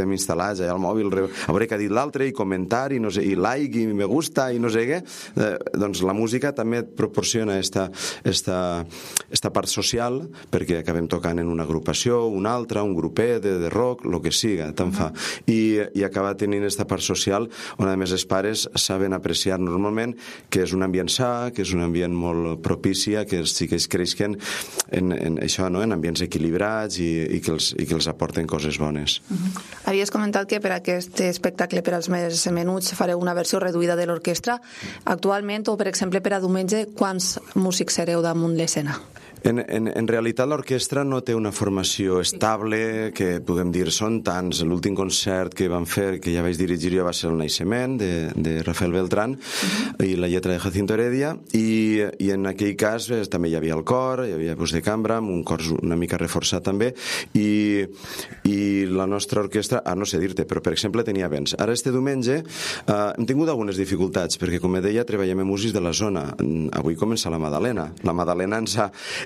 estem instal·lats allà al mòbil, a veure què ha dit l'altre, i comentar, i no sé, i like, i me gusta, i no sé què. Doncs la música també et proporciona esta part social, perquè acabem tocant en una agrupació, una altra, un grupet de rock, el que siga, tant fa. I acaba tenint esta part social on, a més, els pares saben apreciar normalment que és un ambient sa, que és un ambient molt propici a que els xiquets creixen en això, no? En ambients equilibrats i que els aporten coses bones. Havies comentat que per aquest espectacle per als més menuts fareu una versió reduïda de l'orquestra. Actualment, o per exemple per a diumenge, quants músics sereu damunt l'escena? En realitat l'orquestra no té una formació estable, que puguem dir són tants. L'últim concert que vam fer, que ja vaig dirigir jo, va ser el Naixement de Rafael Beltrán i la lletra de Jacinto Heredia, i en aquell cas també hi havia el cor, hi havia voz de cambra, un cor una mica reforçat també, i la nostra orquestra, no sé dir-te, però per exemple tenia vents. Ara este diumenge hem tingut algunes dificultats, perquè com deia treballem amb músics de la zona. Avui comença la Madalena. La Madalena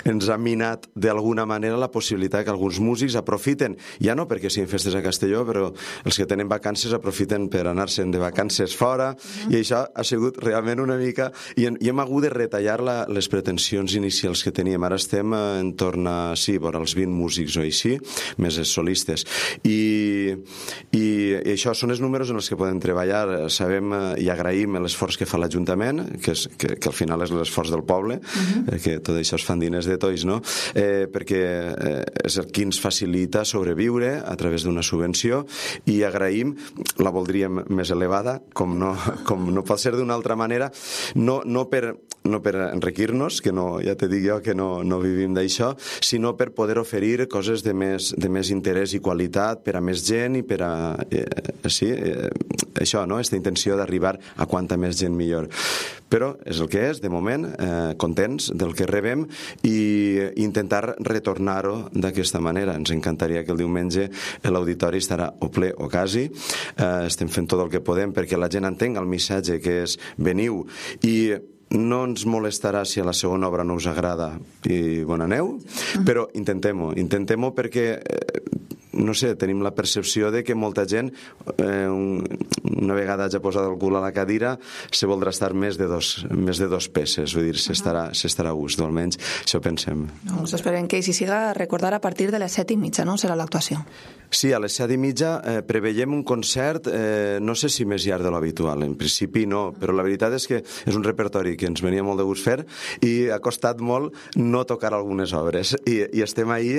ens ha minat d'alguna manera la possibilitat que alguns músics aprofiten, ja no perquè siguin festes a Castelló, però els que tenen vacances aprofiten per anar-se'n de vacances fora, i això ha sigut realment una mica... I hem hagut de retallar les pretensions inicials que teníem. Ara estem en torn a, sí, vora els 20 músics o així, més els solistes. I això són els números en els que podem treballar. Sabem i agraïm l'esforç que fa l'Ajuntament, que al final és l'esforç del poble, que tot això es fan diners de tots, no? Perquè és el que ens facilita sobreviure a través d'una subvenció, i agraïm, la voldríem més elevada, com no pot ser d'una altra manera, no per enriquir-nos, que no, ja te dic jo que no vivim d'això, sinó per poder oferir coses de més interès i qualitat per a més gent, i per a això, no? Aquesta intenció d'arribar a quanta més gent millor. Però és el que és, de moment, contents del que rebem, i intentar retornar-ho d'aquesta manera. Ens encantaria que el diumenge l'auditori estarà o ple o quasi. Estem fent tot el que podem perquè la gent entenga el missatge, que és veniu, i no ens molestarà si a la segona obra no us agrada i bon aneu, però intentem-ho perquè no sé, tenim la percepció de que molta gent, una vegada ja posat el cul a la cadira, se voldrà estar més de dos peces, vull dir, s'estarà a gust, o almenys això pensem. Doncs esperem que així siga. Recordar a partir de les 7:30, no?, serà l'actuació. Sí, a les 7:30 preveiem un concert, no sé si més llarg de l'habitual, en principi no, però la veritat és que és un repertori que ens venia molt de gust fer, i ha costat molt no tocar algunes obres, i estem ahí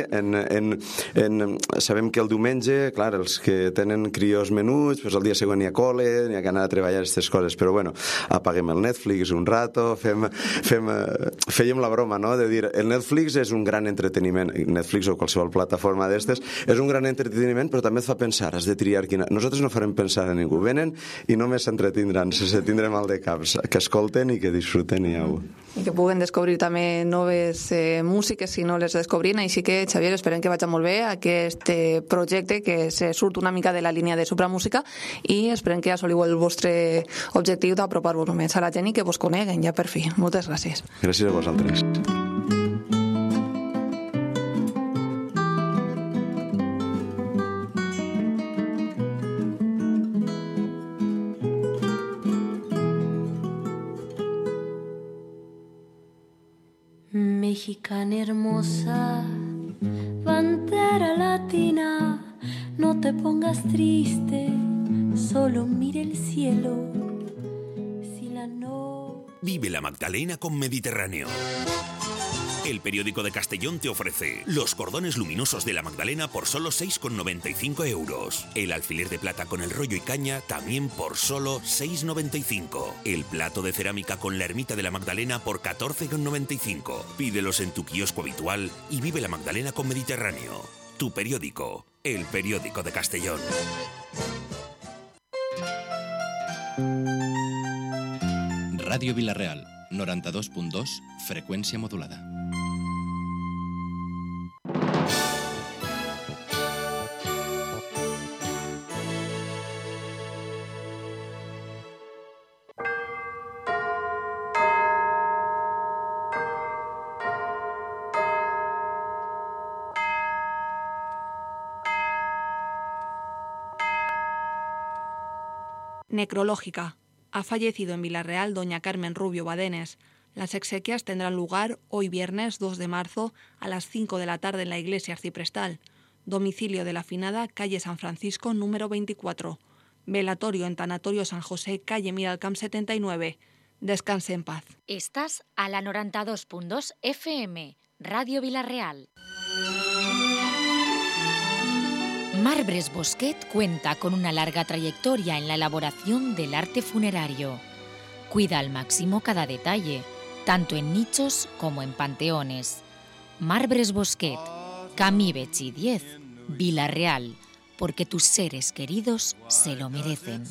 sabem que el diumenge, clar, els que tenen crios menuts, doncs el dia següent n'hi ha col·le, n'hi ha que anar a treballar aquestes coses, però bueno, apaguem el Netflix un rato, fèiem la broma, no?, de dir, el Netflix és un gran entreteniment, Netflix o qualsevol plataforma d'estes, és un gran entreteniment, però també et fa pensar, has de triar quina... Nosaltres no farem pensar a ningú, venen i només s'entretindran, se tindrem mal de caps, que escolten i que disfruten, i au. I que puguen descobrir també noves músiques si no les descobrin, així que, Xavier, esperem que vagi molt bé aquest projecte, que se surt una mica de la línia de supramúsica, i esperem que assoliu el vostre objectiu d'apropar-vos més a la gent i que vos coneguen ja per fi. Moltes gràcies. Gràcies a vosaltres. Mexicana hermosa, bandera latina, no te pongas triste, solo mire el cielo. Si la no... Vive la Magdalena con Mediterráneo. El periódico de Castellón te ofrece los cordones luminosos de la Magdalena por solo 6,95 euros. El alfiler de plata con el rollo y caña también por solo 6,95. El plato de cerámica con la ermita de la Magdalena por 14,95. Pídelos en tu kiosco habitual y vive la Magdalena con Mediterráneo. Tu periódico, el periódico de Castellón. Ràdio Vila-real, 92.2, freqüència modulada. Necrológica. Ha fallecido en Villarreal doña Carmen Rubio Badenes. Las exequias tendrán lugar hoy viernes 2 de marzo a las 5 de la tarde en la iglesia arciprestal. Domicilio de la finada, calle San Francisco, número 24. Velatorio en Tanatorio San José, calle Miralcamp 79. Descanse en paz. Estás a la 92.2 FM, Radio Villarreal. Marbres Bosquet cuenta con una larga trayectoria en la elaboración del arte funerario. Cuida al máximo cada detalle, tanto en nichos como en panteones. Marbres Bosquet, Camí Betxí 10, Villarreal, porque tus seres queridos se lo merecen.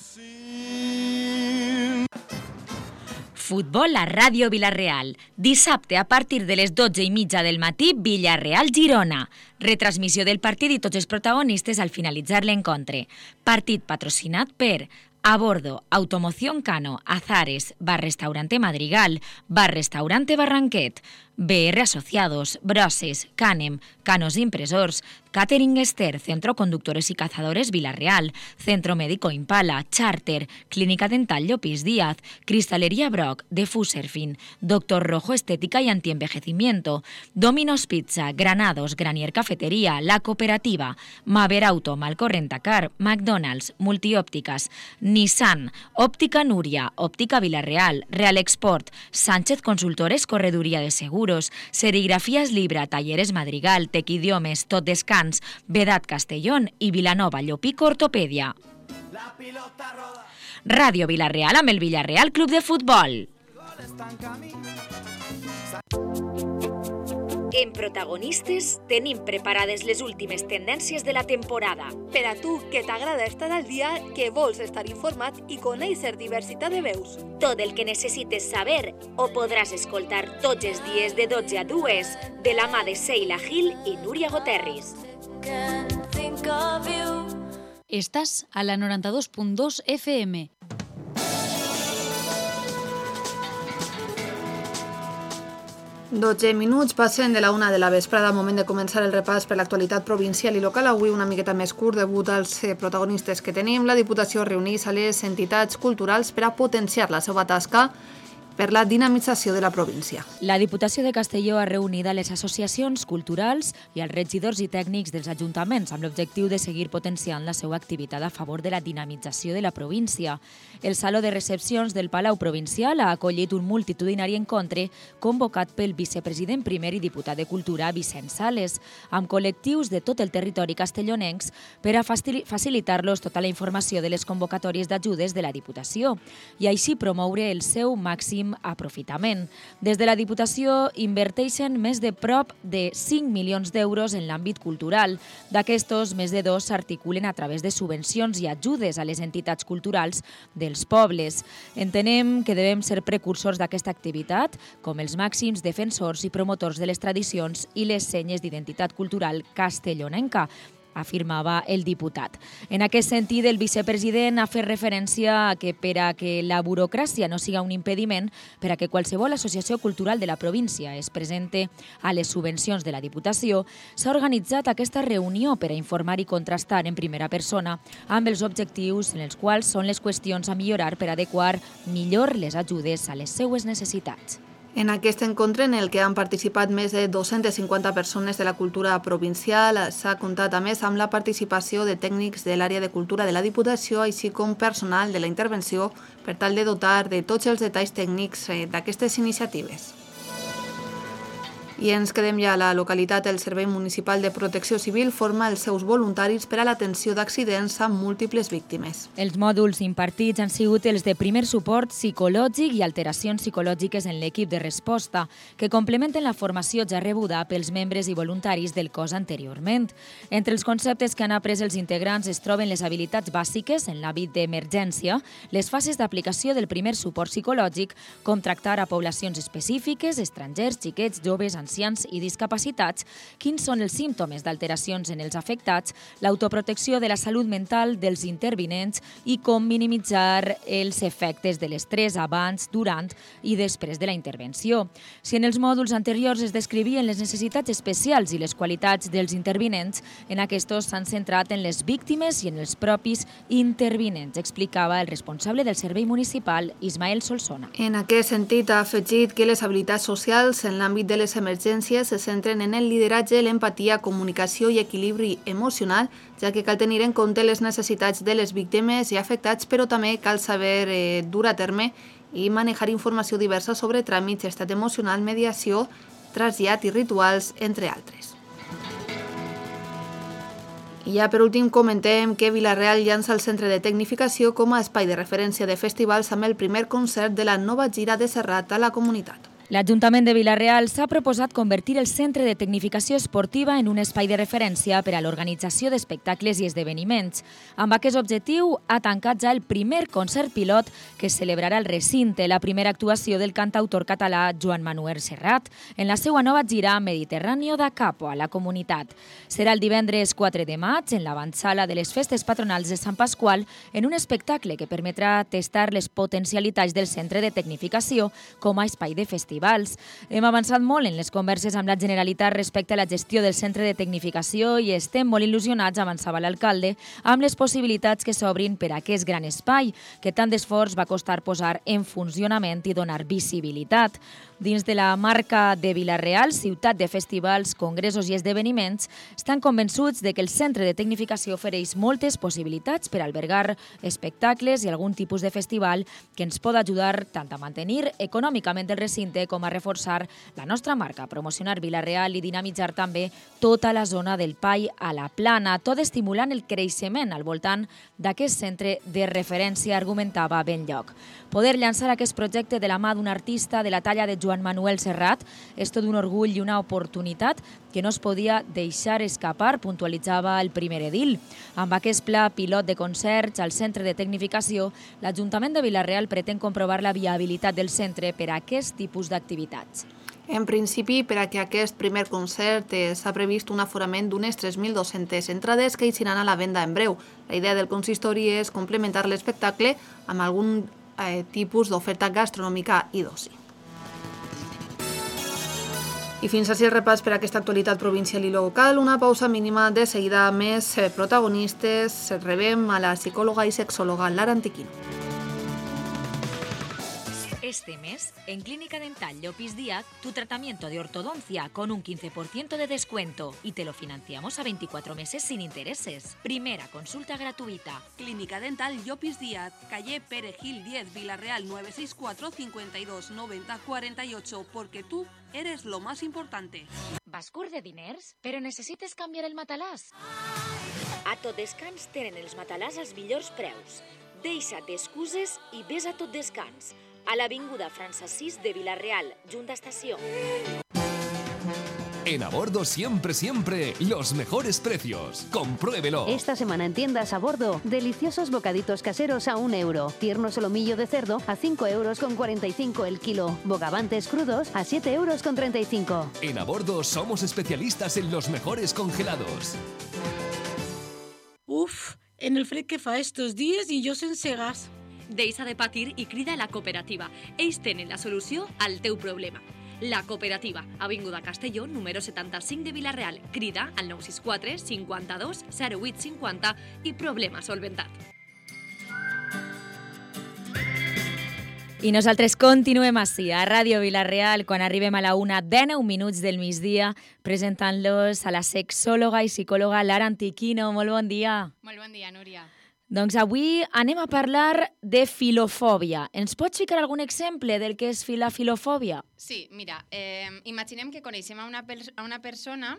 Futbol a Ràdio Villarreal. Dissabte a partir de les 12:30 del matí, Villarreal-Girona. Retransmissió del partit i tots els protagonistes al finalitzar l'encontre. Partit patrocinat per A Bordo, Automoción Cano, Azares, Bar Restaurante Madrigal, Bar Restaurante Barranquet, BR Asociados, Broses, Canem, Canos Impresors, Catering Ester, Centro Conductores y Cazadores Villarreal, Centro Médico Impala, Charter, Clínica Dental Llopis Díaz, Cristalería Brock, de Fuserfin, Doctor Rojo Estética y Antienvejecimiento, Domino's Pizza, Granados, Granier Cafetería, La Cooperativa, Maver Auto, Malcorrentacar, McDonald's, Multiópticas, Nissan, Óptica Núria, Óptica Villarreal, Real Export, Sánchez Consultores Correduría de Seguros, Serigrafías Libra, Talleres Madrigal, Tequidiomes, Tot Descans, Vedat Castellón i Vilanova Llopic Ortopèdia. Ràdio Villarreal amb el Villarreal Club de Futbol. En Protagonistes tenim preparades les últimes tendències de la temporada. Per a tu, que t'agrada estar al dia, que vols estar informat i conèixer diversitat de veus. Tot el que necessites saber ho podràs escoltar tots els dies de 12 a 2 de la mà de Seila Gil i Núria Goterris. Estàs a la 92.2 FM. Minuts passen de la 1 de la vesprada, moment de començar el repàs per l'actualitat provincial i local. Avui una miqueta més curt degut als protagonistes que tenim. La Diputació reuneix a les entitats culturals per a potenciar la seva tasca per la dinamització de la província. La Diputació de Castelló ha reunit a les associacions culturals i als regidors i tècnics dels ajuntaments amb l'objectiu de seguir potenciant la seva activitat a favor de la dinamització de la província. El Saló de Recepcions del Palau Provincial ha acollit un multitudinari encontre convocat pel vicepresident primer i diputat de Cultura Vicent Sales, amb col·lectius de tot el territori castellonencs per a facilitar-los tota la informació de les convocatòries d'ajudes de la Diputació i així promoure el seu màxim aprofitament. Des de la Diputació inverteixen més de prop de 5 milions d'euros en l'àmbit cultural. D'aquestos, més de 2 s'articulen a través de subvencions i ajudes a les entitats culturals dels pobles. Entenem que devem ser precursors d'aquesta activitat, com els màxims defensors i promotors de les tradicions i les senyes d'identitat cultural castellonenca, afirmava el diputat. En aquest sentit, el vicepresident ha fet referència a que per a que la burocràcia no siga un impediment per a que qualsevol associació cultural de la província es presente a les subvencions de la Diputació, s'ha organitzat aquesta reunió per a informar i contrastar en primera persona amb els objectius en els quals són les qüestions a millorar per adequar millor les ajudes a les seues necessitats. En aquest encontre, en el que han participat més de 250 persones de la cultura provincial, s'ha comptat a més amb la participació de tècnics de l'àrea de cultura de la Diputació, així com personal de la intervenció, per tal de dotar de tots els detalls tècnics d'aquestes iniciatives. I ens quedem ja a la localitat. El Servei Municipal de Protecció Civil forma els seus voluntaris per a l'atenció d'accidents amb múltiples víctimes. Els mòduls impartits han sigut els de primer suport psicològic i alteracions psicològiques en l'equip de resposta, que complementen la formació ja rebuda pels membres i voluntaris del cos anteriorment. Entre els conceptes que han après els integrants es troben les habilitats bàsiques en l'àmbit d'emergència, les fases d'aplicació del primer suport psicològic, com tractar a poblacions específiques, estrangers, xiquets, joves, ancians ancians i discapacitats, quins són els símptomes d'alteracions en els afectats, l'autoprotecció de la salut mental dels intervinents i com minimitzar els efectes de l'estrès abans, durant i després de la intervenció. Si en els mòduls anteriors es descrivien les necessitats especials i les qualitats dels intervinents, en aquests s'han centrat en les víctimes i en els propis intervinents, explicava el responsable del Servei Municipal, Ismael Solsona. En aquest sentit, ha afegit que les habilitats socials en l'àmbit de les emergències se centren en el lideratge, l'empatia, comunicació i equilibri emocional, ja que cal tenir en compte les necessitats de les víctimes i afectats, però també cal saber dur a terme i manejar informació diversa sobre tràmits, estat emocional, mediació, trasllat i rituals, entre altres. I ja per últim comentem que Vila-real llança el Centre de Tecnificació com a espai de referència de festivals amb el primer concert de la nova gira de Serrat a la comunitat. L'Ajuntament de Vila-real s'ha proposat convertir el Centre de Tecnificació Esportiva en un espai de referència per a l'organització d'espectacles i esdeveniments. Amb aquest objectiu, ha tancat ja el primer concert pilot que es celebrarà al recinte, la primera actuació del cantautor català Joan Manuel Serrat en la seva nova gira Mediterráneo da Capo a la comunitat. Serà el divendres 4 de maig en l'avantsala de les festes patronals de Sant Pasqual en un espectacle que permetrà testar les potencialitats del Centre de Tecnificació com a espai de festivals. Hem avançat molt en les converses amb la Generalitat respecte a la gestió del Centre de Tecnificació i estem molt il·lusionats, avançava l'alcalde, amb les possibilitats que s'obrin per a aquest gran espai, que tant d'esforç va costar posar en funcionament i donar visibilitat. Dins de la marca de Vila-real, ciutat de festivals, congressos i esdeveniments, estan convençuts de que el Centre de Tecnificació ofereix moltes possibilitats per albergar espectacles i algun tipus de festival que ens pot ajudar tant a mantenir econòmicament el recinte com a reforçar la nostra marca, promocionar Vila-real i dinamitzar també tota la zona del Pai a la Plana, tot estimulant el creixement al voltant d'aquest centre de referència, argumentava Benlloc. Poder llançar aquest projecte de la mà d'un artista de la talla de Joan Manuel Serrat és tot un orgull i una oportunitat que no es podia deixar escapar, puntualitzava el primer edil. Amb aquest pla pilot de concerts al Centre de Tecnificació, l'Ajuntament de Vila-real pretén comprovar la viabilitat del centre per a aquest tipus d'activitats. En principi, per a que aquest primer concert s'ha previst un aforament d'unes 3.200 entrades que eixiran a la venda en breu. La idea del consistori és complementar l'espectacle amb algun tipus d'oferta gastronòmica i d'oci. I fins així el repàs per a aquesta actualitat provincial i local. Una pausa mínima, de seguida més protagonistes. Rebem a la psicòloga i sexòloga Lara Antiquino. Este mes, en Clínica Dental Llopis Díaz, tu tratamiento de ortodoncia con un 15% de descuento y te lo financiamos a 24 meses sin intereses. Primera consulta gratuita. Clínica Dental Llopis Díaz, calle Perejil 10, Vila-real 964 52 90 48, porque tú eres lo más importante. Vas curt de diners, però necessites canviar el matalàs? A Tot Descans tenen els matalàs als millors preus. Deixa't d'excuses i ves a Tot Descans, a l'avinguda França 6 de Vila-real, junta estació. En A Bordo siempre, los mejores precios. Compruébelo. Esta semana en tiendas A Bordo, deliciosos bocaditos caseros a 1 euro. Tierno solomillo de cerdo a 5,45 € el kilo. Bogavantes crudos a 7,35 €. En A Bordo somos especialistas en los mejores congelados. Uf, en el fred que fa estos dies i jo sense gas. Deixa de patir i crida a la cooperativa. Ells tenen la solució al teu problema. La Cooperativa, avinguda Castelló, número 75 de Vila-real. Crida al 964 52 08 50 i problema solventat. I nosaltres continuem així, a Ràdio Vila-real, quan arribem a la 1:19 del migdia, presentant-los a la sexòloga i psicòloga Lara Antiquino. Molt bon dia. Molt bon dia, Núria. Doncs avui anem a parlar de filofòbia. Ens pots ficar algun exemple del que és la filofòbia? Sí, mira, imaginem que coneixem a una persona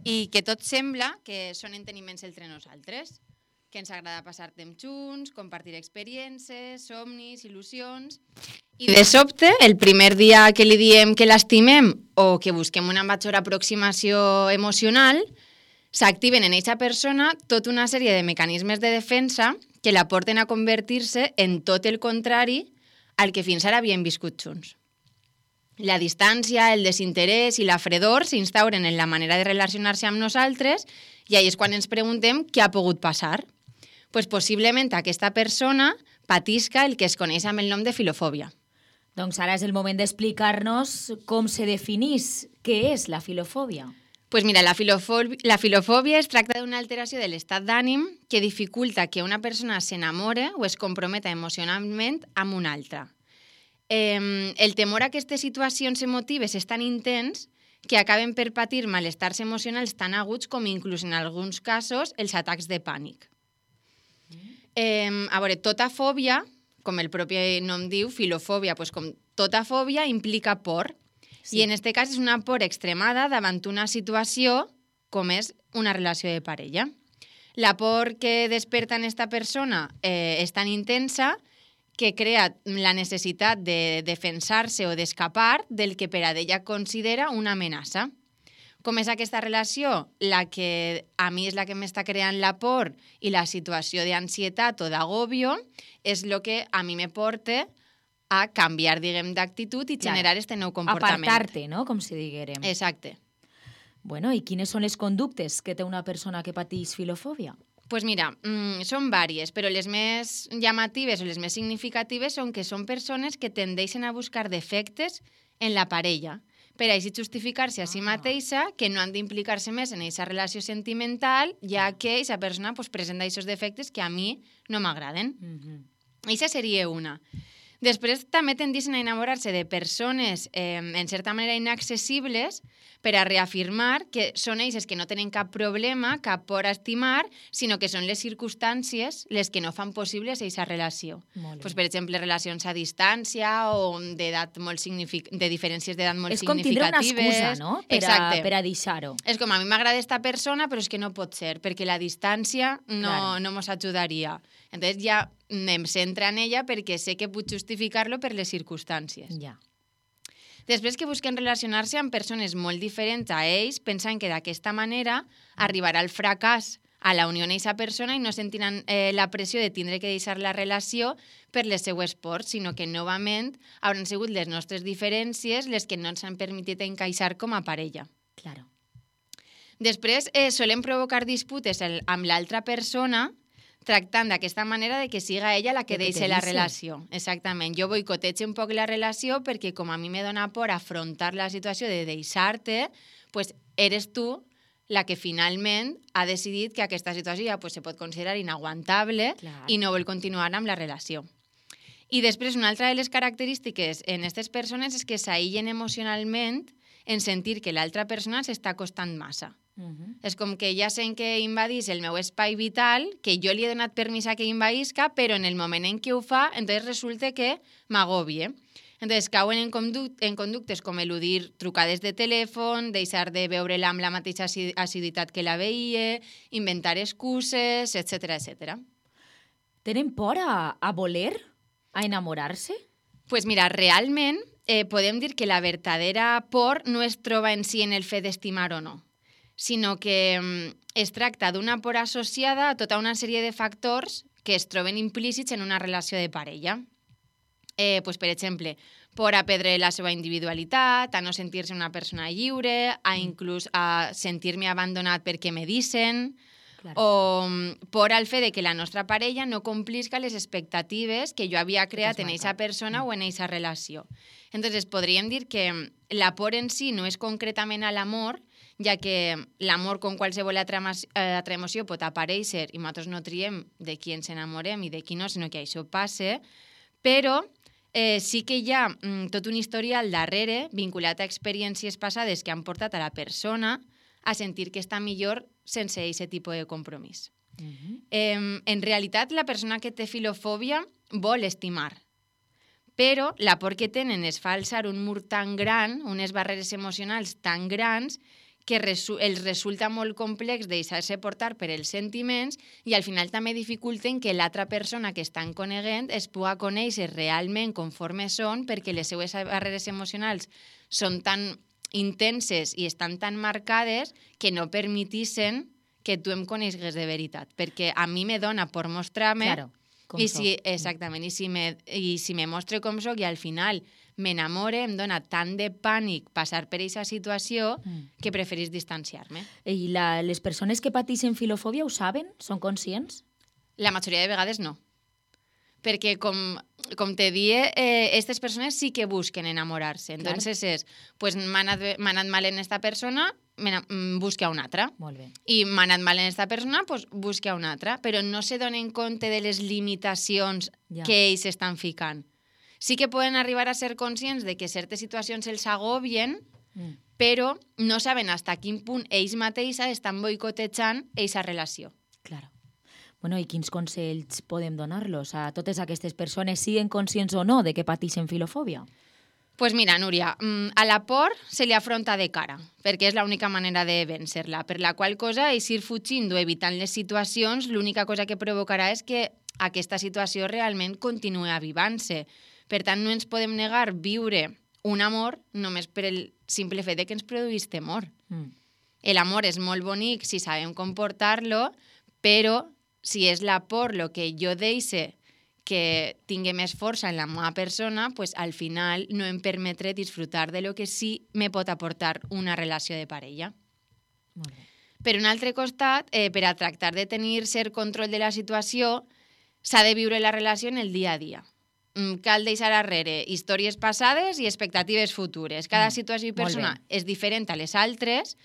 i que tot sembla que són enteniments entre nosaltres, que ens agrada passar temps junts, compartir experiències, somnis, il·lusions. I de sobte, el primer dia que li diem que l'estimem o que busquem una major aproximació emocional, s'activen en aquesta persona tota una sèrie de mecanismes de defensa que la porten a convertir-se en tot el contrari al que fins ara havien viscut junts. La distància, el desinterès i la fredor s'instauren en la manera de relacionar-se amb nosaltres i ahí és quan ens preguntem què ha pogut passar. Pues possiblement aquesta persona patisca el que es coneix amb el nom de filofòbia. Doncs ara és el moment d'explicar-nos com se definís què és la filofòbia. Pues mira, la filofòbia es tracta d'una alteració de l'estat d'ànim que dificulta que una persona s'enamore o es comprometa emocionalment amb una altra. El temor a aquestes situacions emotives és tan intens que acaben per patir malestars emocionals tan aguts com inclús en alguns casos els atacs de pànic. A veure, tota fòbia, com el propi nom diu, filofòbia, pues com tota fòbia implica por. Sí. I en aquest cas és una por extremada davant una situació com és una relació de parella. La por que desperta en esta persona és tan intensa que crea la necessitat de defensar-se o d'escapar del que per a ella considera una amenaça. Com és aquesta relació? La que a mi és la que m'està creant la por i la situació d'ansietat o d'agobio és el que a mi me porta a canviar, diguem, d'actitud i generar este nou comportament. Apartar-te, no?, com si diguérem. Exacte. Bueno, i quines són les conductes que té una persona que pateix filofòbia? Pues mira, són vàries, però les més llamatives o les més significatives són que són persones que tendeixen a buscar defectes en la parella per així justificar-se a si mateixa que no han d'implicar-se més en aquesta relació sentimental, ja que aquesta persona pues, presenta aquests defectes que a mi no m'agraden. Aquesta seria una. Després també tendeixen a enamorar-se de persones en certa manera inaccessibles per a reafirmar que són ells que no tenen cap problema, cap por a estimar, sinó que són les circumstàncies les que no fan possible aquesta relació. Pues, per exemple, relacions a distància o d'edat molt de diferències d'edat molt significatives. És com tindre una excusa, no?, per a deixar-ho. És com, a mi m'agrada esta persona, però és que no pot ser, perquè la distància no mos ajudaria. Entonces ja em centra en ella perquè sé que puc justificar-lo per les circumstàncies. Ja. Després que busquen relacionar-se amb persones molt diferents a ells, pensen que d'aquesta manera arribarà el fracàs a la unió amb aquesta persona i no sentiran la pressió de tindre que deixar la relació per les seues pors, sinó que novament hauran sigut les nostres diferències les que no ens han permitit encaixar com a parella. Claro. Després solen provocar disputes amb l'altra persona tractant d'aquesta manera de que siga ella la que deixi la relació. Exactament. Jo boicotege un poc la relació perquè com a mi me dona por afrontar la situació de deixar-te, pues eres tu la que finalment ha decidit que aquesta situació ja pues, se pot considerar inaguantable i no vol continuar amb la relació. I després, una altra de les característiques en aquestes persones és que s'aïllen emocionalment en sentir que l'altra persona s'està costant massa. És com que ja sent que invadís el meu espai vital, que jo li he donat permís a que invadisca, però en el moment en què ho fa, entonces resulta que m'agobie. Entonces cauen en conductes com eludir trucades de telèfon, deixar de veure-la amb la mateixa assiduïtat que la veia, inventar excuses, etc. Tenen por a voler? A enamorar-se? Pues mira, realment podem dir que la verdadera por no es troba en si en el fet d'estimar o no, sinó que es tracta d'una por associada a tota una sèrie de factors que es troben implícits en una relació de parella. Pues, per exemple, por a perdre la seva individualitat, a no sentir-se una persona lliure, a inclús a sentir-me abandonat perquè me dicen, o por al fet de que la nostra parella no complisca les expectatives que jo havia creat en aquesta persona o en aquesta relació. Entonces, podríem dir que la por en si no és concretament a l'amor, ja que l'amor com qualsevol altra emoció pot aparèixer i nosaltres no triem de qui ens enamorem i de qui no, sinó que això passe, però sí que hi ha tot un historial darrere vinculat a experiències passades que han portat a la persona a sentir que està millor sense aquest tipus de compromís. En realitat, la persona que té filofòbia vol estimar, però la por que tenen és fa alçar un mur tan gran, unes barreres emocionals tan grans, que els resulta molt complex deixar-se portar per els sentiments i al final també dificulten que l'altra persona que estan coneguent es pugui conèixer realment conforme són, perquè les seues barreres emocionals són tan intenses i estan tan marcades que no permetissen que tu em conegues de veritat, perquè a mi me dona per mostrar-me exactament, i si me mostre com soc i al final m'enamore, em dona tant de pànic passar per aquesta situació que preferís distanciar-me. I les persones que pateixen filofòbia ho saben? Són conscients? La majoria de vegades no. Perquè, com te die, aquestes persones sí que busquen enamorar-se. Entonces és, pues m'ha anat mal en esta persona, busca una altra. Molt bé. I m'ha anat mal en esta persona, pues busca una altra. Però no se donen compte de les limitacions que ells estan ficant. Sí que poden arribar a ser conscients de que certes situacions els agobien, però no saben fins a quin punt ells mateixos estan boicotejant aquesta relació. Claro. Bueno, i quins consells podem donar-los a totes aquestes persones, siguen conscients o no de que pateixen filofòbia? Pues mira, Núria, a la por se li afronta de cara, perquè és l'única manera de vèncer-la, per la qual cosa, ir fugint o evitant les situacions, l'única cosa que provocarà és que aquesta situació realment continuï avivant-se. Per tant, no ens podem negar viure un amor només per el simple fet de que ens produís temor. L'amor és molt bonic si sabem comportar-lo, però si és la por el que jo deixe que tingui més força en la meva persona, pues al final no em permetré disfrutar de lo que sí me pot aportar una relació de parella. Molt bé. Per un altre costat, per a tractar de tenir cert control de la situació, s'ha de viure la relació en el dia a dia. Cal deixar darrere històries passades i expectatives futures. Cada situació i persona és diferent a les altres,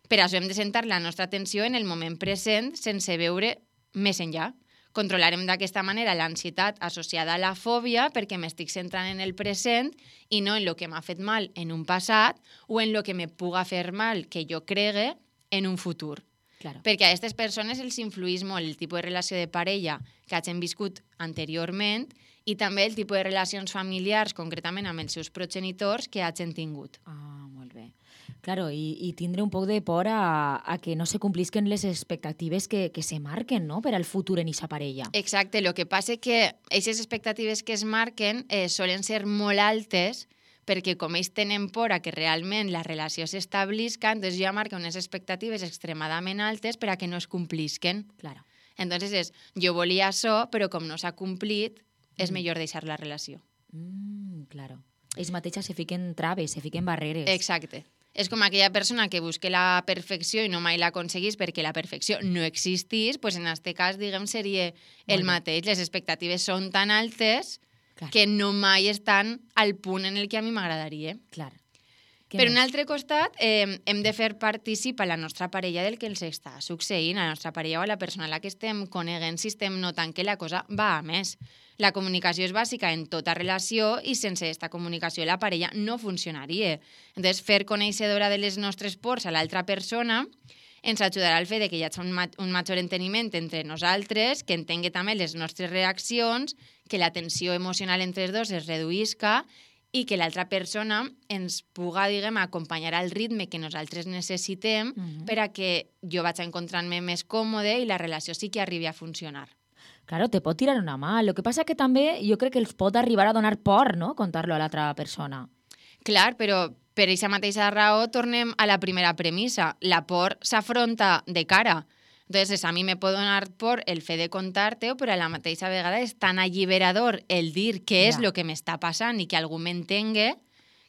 per això hem de centrar la nostra atenció en el moment present sense veure més enllà. Controlarem d'aquesta manera l'ansietat associada a la fòbia perquè m'estic centrant en el present i no en el que m'ha fet mal en un passat o en el que me puga fer mal que jo cregue en un futur. Claro. Perquè a aquestes persones els influïs molt el tipus de relació de parella que hagin viscut anteriorment i també el tipus de relacions familiars, concretament amb els seus progenitors, que hagin tingut. Ah, molt bé. Claro, i tindre un poc de por a que no se complisquen les expectatives que se marquen, no?, per al futur en aquesta parella. Exacte, el que passa és que aquestes expectatives que es marquen solen ser molt altes perquè com ells tenen por a que realment la relació s'establisca, doncs ja marca unes expectatives extremadament altes per a que no es complisquen. Claro. Entonces és, jo volia això, però com no s'ha complit, és millor deixar la relació. Claro. Ells mateixes se fiquen traves, se fiquen barreres. Exacte. És com aquella persona que busca la perfecció i no mai l'aconseguís perquè la perfecció no existís, doncs en aquest cas, diguem, seria el mateix. Les expectatives són tan altes que no mai estan al punt en el que a mi m'agradaria. Clar. Per un altre costat, hem de fer partícip a la nostra parella del que els està succeint, a la nostra parella o a la persona a la que estem coneguent, si estem notant que la cosa va a més. La comunicació és bàsica en tota relació i sense aquesta comunicació la parella no funcionaria. Entonces, fer coneixedora de les nostres pors a l'altra persona ens ajudarà al fet que hi hagi un major enteniment entre nosaltres, que entengui també les nostres reaccions, que la tensió emocional entre els dos es reduïsca i que l'altra persona ens puga, diguem, acompanyar al ritme que nosaltres necessitem per a que jo vaig encontrant-me més còmode i la relació sí que arribi a funcionar. Claro, te pot tirar una mà. Lo que passa que també jo crec que els pot arribar a donar por, no?, contar-lo a l'altra persona. Clar, però per aquesta mateixa raó tornem a la primera premissa. La por s'afronta de cara. Entonces, a mi me pot donar por el fet de contar-te-ho, però a la mateixa vegada és tan alliberador el dir què és el que m'està passant i que algú m'entenga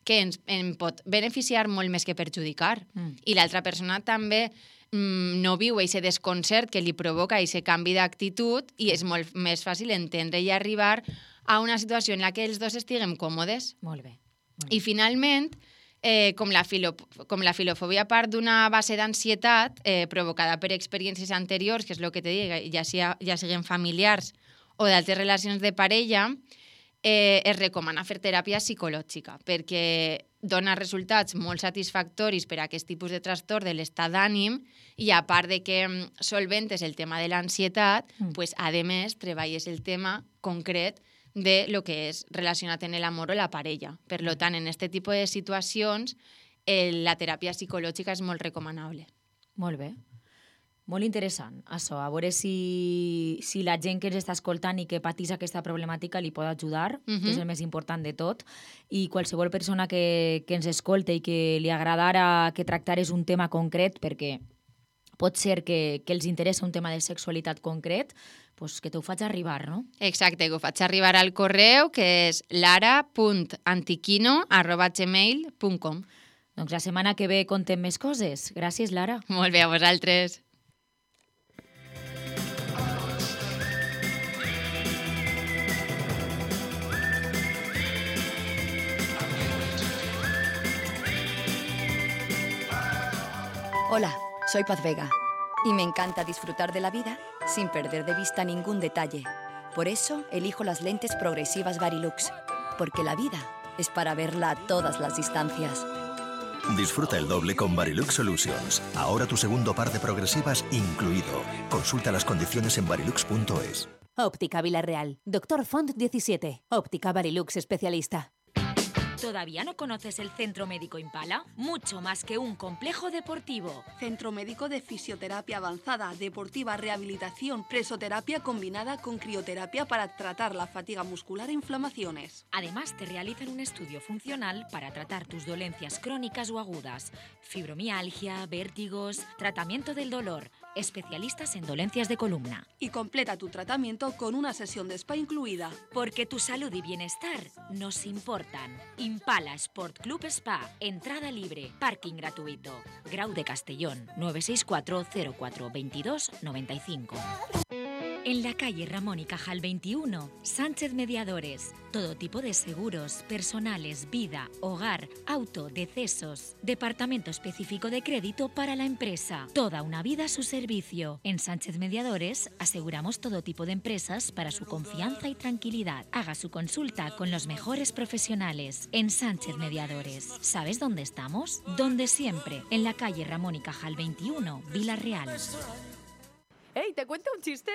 que em pot beneficiar molt més que perjudicar. I l'altra persona també no viu aquest desconcert que li provoca aquest canvi d'actitud i és molt més fàcil entendre i arribar a una situació en la que els dos estiguem còmodes. Molt bé. I finalment, com la filofòbia part d'una base d'ansietat provocada per experiències anteriors, que és el que te dic, ja siguin familiars o d'altres relacions de parella, es recomana fer teràpia psicològica perquè dona resultats molt satisfactoris per a aquest tipus de trastorn de l'estat d'ànim i a part de que solventes el tema de l'ansietat, pues, a més treballes el tema concret de lo que és relacionat en l'amor o la parella. Per tant, en aquest tipus de situacions, la teràpia psicològica és molt recomanable. Molt bé. Molt interessant, això. A veure si la gent que ens està escoltant i que patís aquesta problemàtica li pot ajudar, que és el més important de tot. I qualsevol persona que ens escolte i que li agradara que tractares un tema concret, perquè pot ser que els interessa un tema de sexualitat concret, doncs que t'ho faig arribar, no? Exacte, que ho faig arribar al correu, que és lara.antiquino@gmail.com. Doncs la setmana que ve contem més coses. Gràcies, Lara. Molt bé, a vosaltres. Hola, soy Paz Vega y me encanta disfrutar de la vida sin perder de vista ningún detalle. Por eso elijo las lentes progresivas Varilux, porque la vida es para verla a todas las distancias. Disfruta el doble con Varilux Solutions. Ahora tu segundo par de progresivas incluido. Consulta las condiciones en varilux.es. Óptica Villarreal. Doctor Font 17. Óptica Varilux especialista. ¿Todavía no conoces el Centro Médico Impala? Mucho más que un complejo deportivo. Centro Médico de Fisioterapia Avanzada, Deportiva, Rehabilitación, Presoterapia combinada con crioterapia para tratar la fatiga muscular e inflamaciones. Además, te realizan un estudio funcional para tratar tus dolencias crónicas o agudas, fibromialgia, vértigos, tratamiento del dolor, especialistas en dolencias de columna. Y completa tu tratamiento con una sesión de spa incluida. Porque tu salud y bienestar nos importan. Impala Sport Club Spa, entrada libre, parking gratuito. Grau de Castellón, 964 04 22 95. En la calle Ramón y Cajal 21, Sánchez Mediadores. Todo tipo de seguros, personales, vida, hogar, auto, decesos. Departamento específico de crédito para la empresa. Toda una vida a su servicio. En Sánchez Mediadores aseguramos todo tipo de empresas para su confianza y tranquilidad. Haga su consulta con los mejores profesionales. En Sánchez Mediadores. ¿Sabes dónde estamos? Donde siempre. En la calle Ramón y Cajal 21, Villarreal. Hey, ¿te cuento un chiste?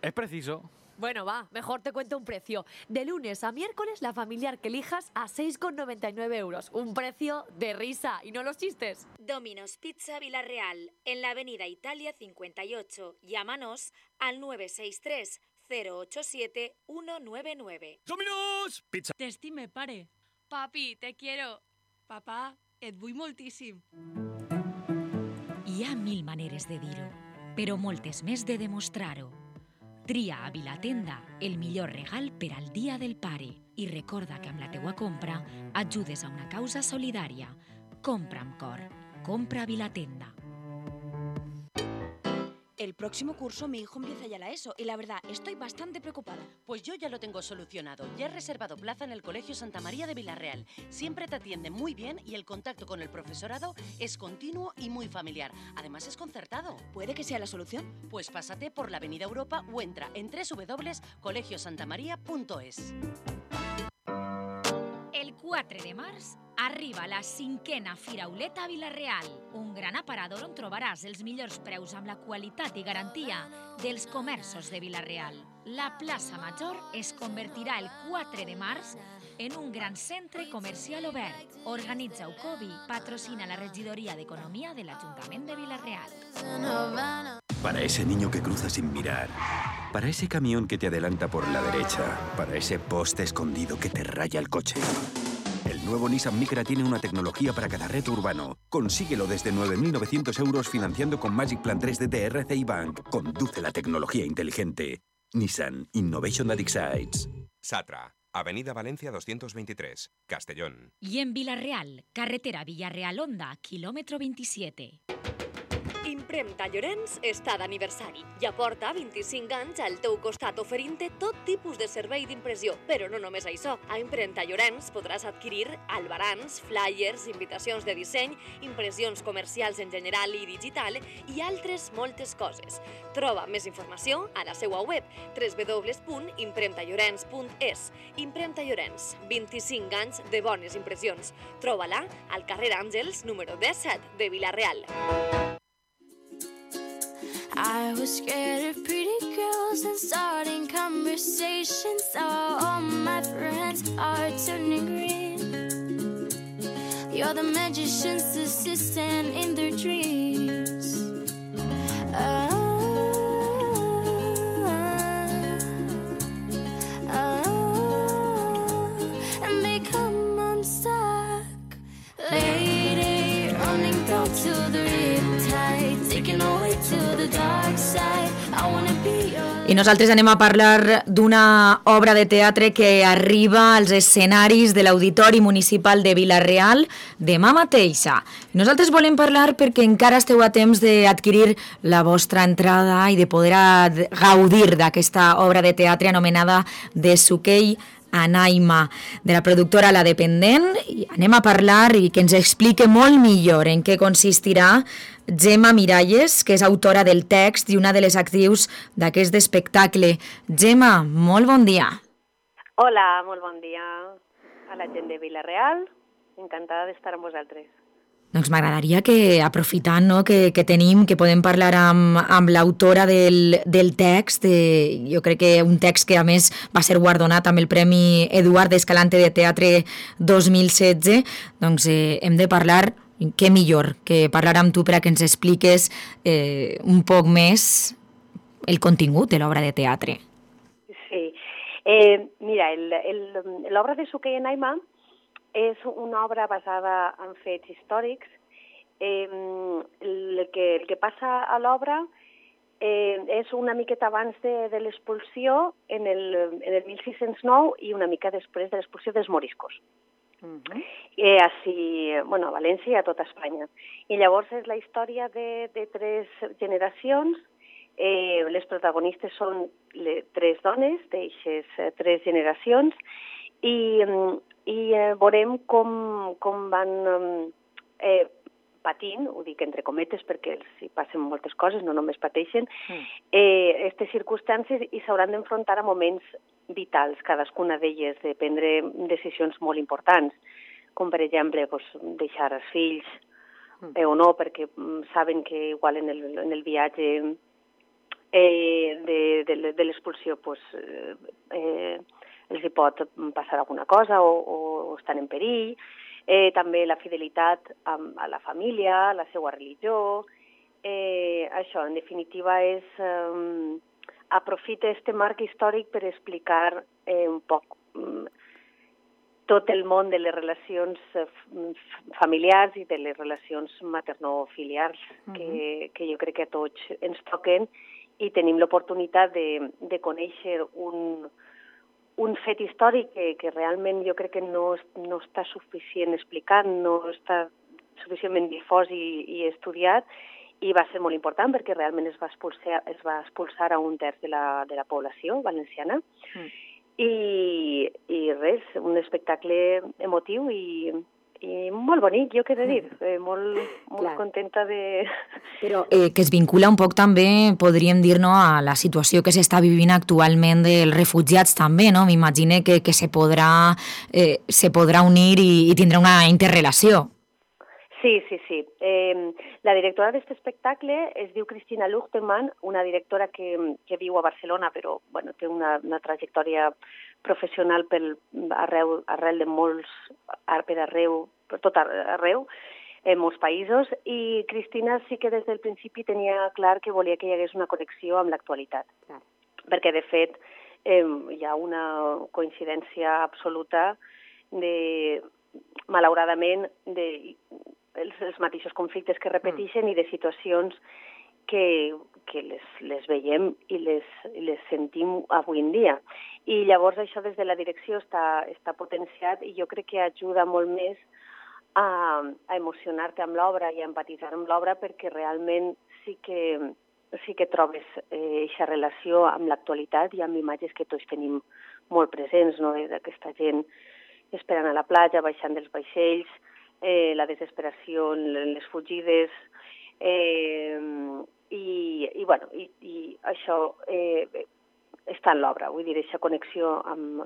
Es preciso. Bueno, va, mejor te cuento un precio. De lunes a miércoles, la familiar que elijas a 6,99 euros. Un precio de risa, y no los chistes. Domino's Pizza Villarreal, en la avenida Italia 58. Llámanos al 963 087 199. Domino's Pizza. T'estime, pare. Papi, te quiero. Papà, et vull moltíssim. Hi ha mil maneres de dir-ho, però moltes més de demostrar-ho. Tria a Vilatenda el millor regal per al Dia del Pare i recorda que amb la teua compra ajudes a una causa solidària. Compra amb cor. Compra a Vilatenda. El próximo curso mi hijo empieza ya la ESO y la verdad estoy bastante preocupada. Pues yo ya lo tengo solucionado. Ya he reservado plaza en el Colegio Santa María de Villarreal. Siempre te atienden muy bien y el contacto con el profesorado es continuo y muy familiar. Además es concertado. ¿Puede que sea la solución? Pues pásate por la Avenida Europa o entra en www.colegiosantamaria.es. El 4 de març arriba la 5a Firauleta a Vilareal, un gran aparador on trobaràs els millors preus amb la qualitat i garantia dels comerços de Vilareal. La plaça Major es convertirà el 4 de març en un gran centre comercial obert. Organitza Ucovi, patrocina la Regidoria d'Economia de l'Ajuntament de Vilareal. Para ese niño que cruza sin mirar, para ese camión que te adelanta por la derecha, para ese poste escondido que te raya el coche. El nuevo Nissan Micra tiene una tecnología para cada reto urbano. Consíguelo desde 9.900 euros financiando con Magic Plan 3 de RCI Bank. Conduce la tecnología inteligente. Nissan Innovation that excites. Satra, Avenida Valencia 223, Castellón. I en Vilareal, carretera Villarreal-Onda, quilòmetre 27. Impremta Llorenç està d'aniversari i aporta 25 anys al teu costat oferint-te tot tipus de servei d'impressió. Però no només això. A Impremta Llorenç podràs adquirir albarans, flyers, invitacions de disseny, impressions comercials en general i digital i altres moltes coses. Troba més informació a la seva web www.impremtallorens.es. Impremta Llorenç, 25 anys de bones impressions. Troba-la al carrer Àngels, número 17 de Vilareal. I was scared of pretty girls and starting conversations. Now all my friends are turning green. You're the magician's assistant in their dreams. And become unstuck. Lady, running down to the riptide, taking away I nosaltres anem a parlar d'una obra de teatre que arriba als escenaris de l'Auditori Municipal de Vila-real demà mateixa. Nosaltres volem parlar perquè encara esteu a temps d'adquirir la vostra entrada i de poder gaudir d'aquesta obra de teatre anomenada De Suquei a Naima, de la productora La Dependent. I anem a parlar i que ens explique molt millor en què consistirà Gemma Miralles, que és autora del text i una de les actrius d'aquest espectacle. Gemma, molt bon dia. Hola, molt bon dia a la gent de Vila-real. Encantada d'estar amb vosaltres. Doncs m'agradaria que, aprofitant que tenim, que podem parlar amb l'autora del text, jo crec que un text que a més va ser guardonat amb el Premi Eduard Escalante de Teatre 2016, doncs hem de parlar, què millor que parlar amb tu per a que ens expliques un poc més el contingut de l'obra de teatre. Sí, mira, l'obra de Suquei a Naima és una obra basada en fets històrics. El que passa a l'obra és una miqueta abans de l'expulsió en el 1609 i una mica després de l'expulsió dels moriscos. Així, bueno, a València i a tota Espanya. I llavors és la història de 3 generacions. Les protagonistes són 3 dones d'aixes 3 generacions i veurem com van patint, ho dic entre cometes perquè els hi passen moltes coses, no només pateixen, aquestes circumstàncies i s'hauran d'enfrontar a moments vitals, cadascuna d'elles, de prendre decisions molt importants, com per exemple deixar els fills o no, perquè saben que igual en el viatge de l'expulsió els hi pot passar alguna cosa o estan en perill. També la fidelitat a la família, a la seva religió. Això, en definitiva, aprofita este marc històric per explicar un poc tot el món de les relacions familiars i de les relacions maternofiliars que jo crec que a tots ens toquen i tenim l'oportunitat de conèixer un fet històric que realment jo crec que no està suficient explicat, no està suficientment difós i estudiat, i va ser molt important perquè realment es va expulsar a 1/3 de la població valenciana. I res, un espectacle emotiu i molt bonic, jo què he de dir, molt contenta de... Però que es vincula un poc també, podríem dir, no, a la situació que s'està vivint actualment dels refugiats també, no? M'imagine que se podrà unir i tindrà una interrelació. Sí. La directora d'aquest espectacle es diu Cristina Luchterman, una directora que viu a Barcelona, però bueno, té una trajectòria professional arrel de molts, per tot arreu, en molts països, i Cristina sí que des del principi tenia clar que volia que hi hagués una connexió amb l'actualitat. Perquè, de fet, hi ha una coincidència absoluta malauradament, els mateixos conflictes que repeteixen i de situacions que les veiem i les sentim avui en dia. I llavors això des de la direcció està potenciat i jo crec que ajuda molt més a emocionar-te amb l'obra i a empatitzar amb l'obra perquè realment sí que trobes aquesta relació amb l'actualitat i amb imatges que tots tenim molt presents, no? D'aquesta gent esperant a la platja, baixant dels vaixells, la desesperació, les fugides, i això està en l'obra. Vull dir, aquesta connexió amb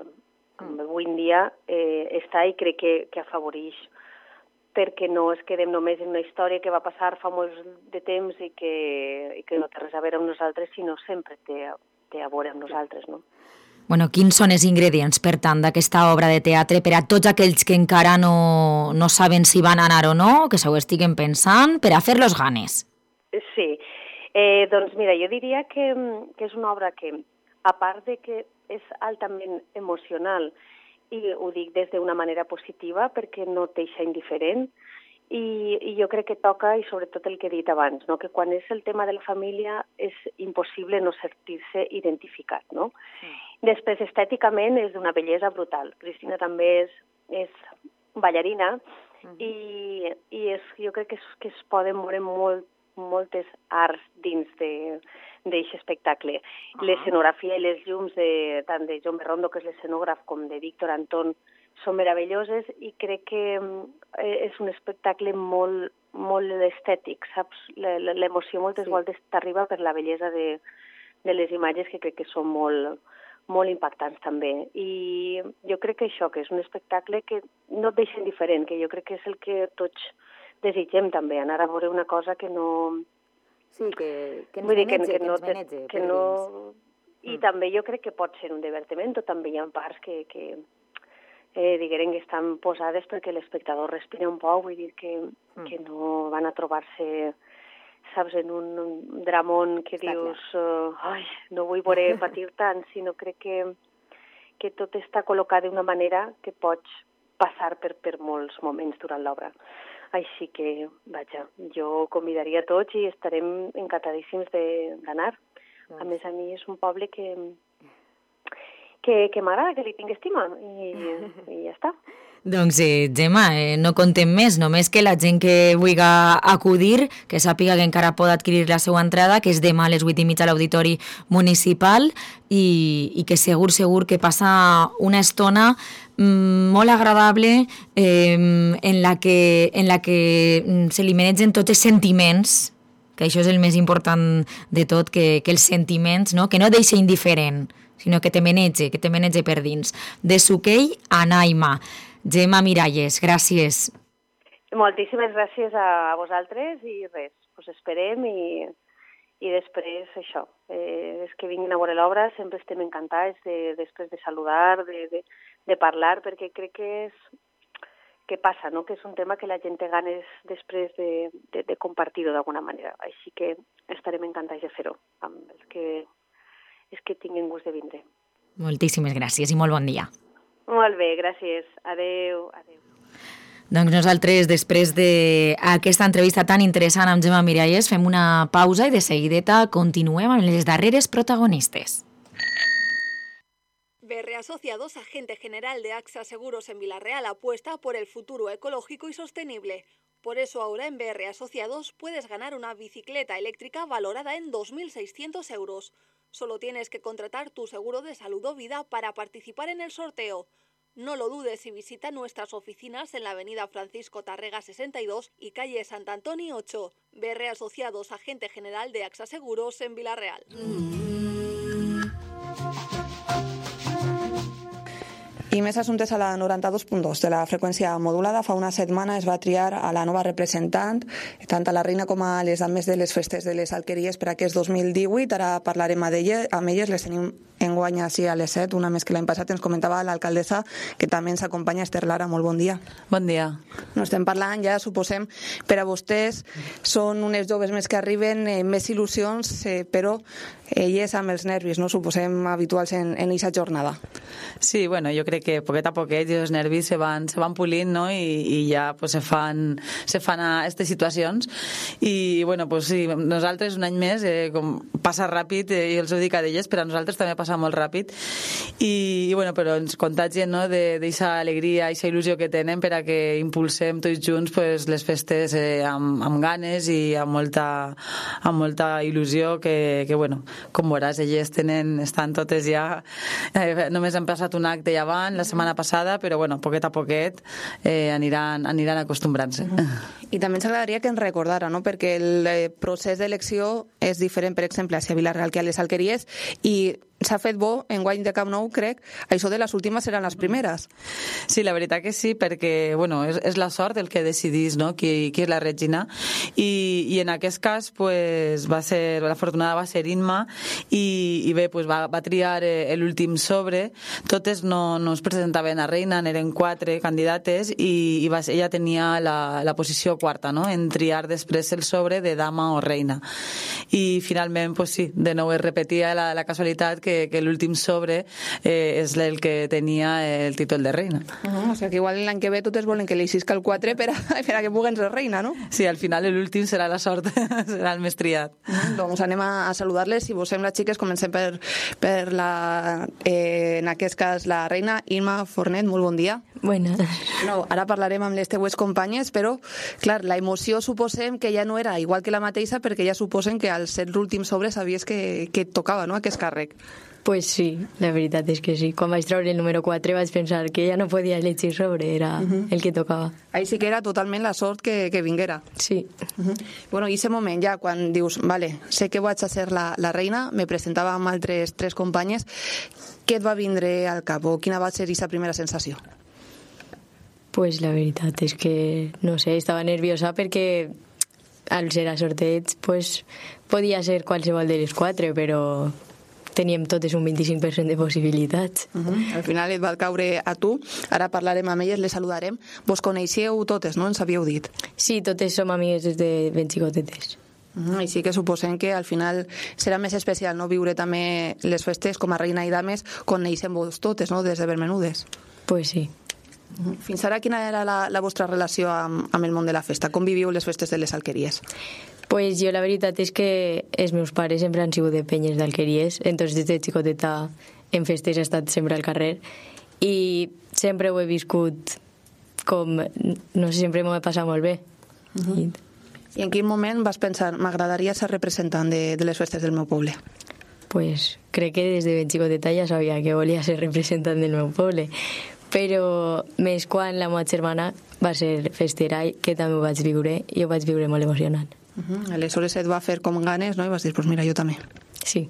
avui en dia està i crec que afavoreix perquè no es quedem només en una història que va passar fa molt de temps i que no té res a veure amb nosaltres, sinó sempre té a veure amb nosaltres, no? Bueno, quins són els ingredients, per tant, d'aquesta obra de teatre per a tots aquells que encara no saben si van anar o no, que s'ho estiguen pensant, per a fer-los ganes? Sí, doncs mira, jo diria que és una obra que, a part de que és altament emocional, i ho dic des d'una manera positiva perquè no t'eixa indiferent, I jo crec que toca, i sobretot el que he dit abans, no? Que quan és el tema de la família és impossible no sentir-se identificat. No? Després, estèticament, és d'una bellesa brutal. Cristina també és ballarina i jo crec que es poden veure moltes arts dins d'aquest espectacle. L'escenografia i les llums tant de John Berrondo, que és l'escenògraf, com de Víctor Antón, són meravelloses i crec que és un espectacle molt estètic, saps? L'emoció moltes voltes t'arriba per la bellesa de les imatges, que crec que són molt impactants també. I jo crec que això, que és un espectacle que no et deixa indiferent, que jo crec que és el que tots desitgem també, anar a veure una cosa que no... Sí, que ens venege, per dins. I també jo crec que pot ser un divertiment, o també hi ha parts que diguem que estan posades perquè l'espectador respira un poc, vull dir que no van a trobar-se, saps, en un dramón que dius, no vull veure patir tant, sinó crec que tot està col·locat d'una manera que pots passar per molts moments durant l'obra. Així que, vaja, jo convidaria a tots i estarem encantadíssims d'anar. A més, a mi és un poble que m'agrada, que li tinc estima, i ja està. Doncs, Gemma, no contem més, només que la gent que vulgui acudir, que sàpiga que encara pot adquirir la seva entrada, que és demà a les 8:30 a l'Auditori Municipal, i que segur que passa una estona molt agradable en la que se li manegen tots els sentiments, que això és el més important de tot, que els sentiments, no? Que no deixa indiferent, sinó que te menege per dins. De Suquell a Naima. Gemma Miralles, gràcies. Moltíssimes gràcies a vosaltres i res, us esperem i després això, és que vinguin a veure l'obra, sempre estem encantats després de saludar, de parlar, perquè crec que passa, no? Que és un tema que la gent té ganes després de compartir-ho d'alguna manera, així que estarem encantats de fer-ho amb els que tinguin gust de vindre. Moltíssimes gràcies i molt bon dia. Molt bé, gràcies. Adéu. Doncs nosaltres, després d'aquesta entrevista tan interessant amb Gemma Miralles, fem una pausa i de seguideta continuem amb les darreres protagonistes. BR Asociados, agente general de AXA Seguros en Villarreal, apuesta por el futuro ecológico y sostenible. Por eso ahora en BR Asociados puedes ganar una bicicleta eléctrica valorada en 2.600 euros. Solo tienes que contratar tu seguro de salud o vida para participar en el sorteo. No lo dudes y visita nuestras oficinas en la avenida Francisco Tarrega 62 y calle Sant Antoni 8. BR Asociados, agente general de AXA Seguros en Villarreal. I més assumptes a la 92.2 de la freqüència modulada. Fa una setmana es va triar a la nova representant, tant a la reina com a les dames de les festes de les alqueries per aquest 2018. Ara parlarem amb elles, les tenim enguany així a les 7, una més que l'any passat. Ens comentava l'alcaldessa, que també ens acompanya, Esther Lara. Molt bon dia. Bon dia. No estem parlant, ja suposem, per a vostès són unes joves més que arriben, més il·lusions, però elles amb els nervis, no suposem habituals en aquesta jornada. Sí, bueno, jo crec que poquet a poquet els nervis se van pulint, no? I ja pues, se fan a aquestes situacions. I bueno, pues, sí, nosaltres un any més, com passa ràpid, i els ho dic a d'elles, però a nosaltres també passa molt ràpid. I bueno, però ens contagien, no? D'aquesta alegria, aquesta il·lusió que tenen per a que impulsem tots junts pues, les festes amb ganes i amb molta il·lusió que bueno, com veuràs, elles estan totes ja, només han passat un acte ja abans, la setmana passada, però bueno, poquet a poquet aniran acostumbrant-se. I també ens agradaria que ens recordara, no? Perquè el procés d'elecció és diferent, per exemple, a Vilareal que a les alqueries, i s'ha fet bo, en guany de Camp Nou, crec, això de les últimes seran les primeres. Sí, la veritat que sí, perquè bueno, és la sort el que decidís, no? qui és la Regina, i en aquest cas pues, l'afortunada va ser Inma, i bé, pues, va triar l'últim sobre. Totes no es presentaven a reina, eren 4 candidates, i ella tenia la posició quarta, no? En triar després el sobre de dama o reina. I finalment, pues, sí, de nou es repetia la casualitat que que l'últim sobre és el que tenia el títol de reina. O sigui que igual l'any que ve totes volen que li isca el 4 per a que puguin ser reina, no? Sí, al final l'últim serà la sort, serà el més triat. Doncs anem a saludar-les. Si vos sembla, xiques, comencem per en aquest cas la reina Imma Fornet. Molt bon dia. Buenas. No, ara parlarem amb les teues companyes, però, clar, la emoció suposem que ja no era igual que la mateixa, perquè ja suposen que al ser l'últim sobre sabies que et tocava, no?, aquest càrrec. Pues sí, la veritat és que sí. Quan vaig treure el número 4 vaig pensar que ja no podia elegir sobre, era el que tocava. Ahí sí que era totalment la sort que vinguera. Sí. Bueno, i aquest moment ja, quan dius, vale, sé que vaig a ser la reina, me presentava amb altres 3 companyes, què et va vindre al cap o quina va ser aquesta primera sensació? Pues la veritat és que, no sé, estava nerviosa perquè al ser a sorteig pues, podia ser qualsevol de les 4, però teníem totes un 25% de possibilitats. Al final et va caure a tu. Ara parlarem amb elles, les saludarem. Vos coneixeu totes, no? Ens havíeu dit. Sí, totes som amigues des de ben xicotetes. I sí que suposem que al final serà més especial, no?, viure també les festes com a reina i dames, coneixem-vos totes, no?, des de ben menudes. Pues sí. Fins ara, quina era la vostra relació amb el món de la festa? Com viviu les festes de les alqueries? Pues jo la veritat és que els meus pares sempre han sigut de penyes d'alqueries, entonces des de xicoteta en festes he estat sempre al carrer i sempre ho he viscut com, no sé, sempre m'ho he passat molt bé. I en quin moment vas pensar, m'agradaria ser representant de les festes del meu poble? Pues crec que des de ben xicoteta ja sabia que volia ser representant del meu poble, però més quan la meva germana va ser festera, que també ho vaig viure, i ho vaig viure molt emocionant. Aleshores et va fer com ganes, no?, i vas dir, pues mira, jo també. Sí.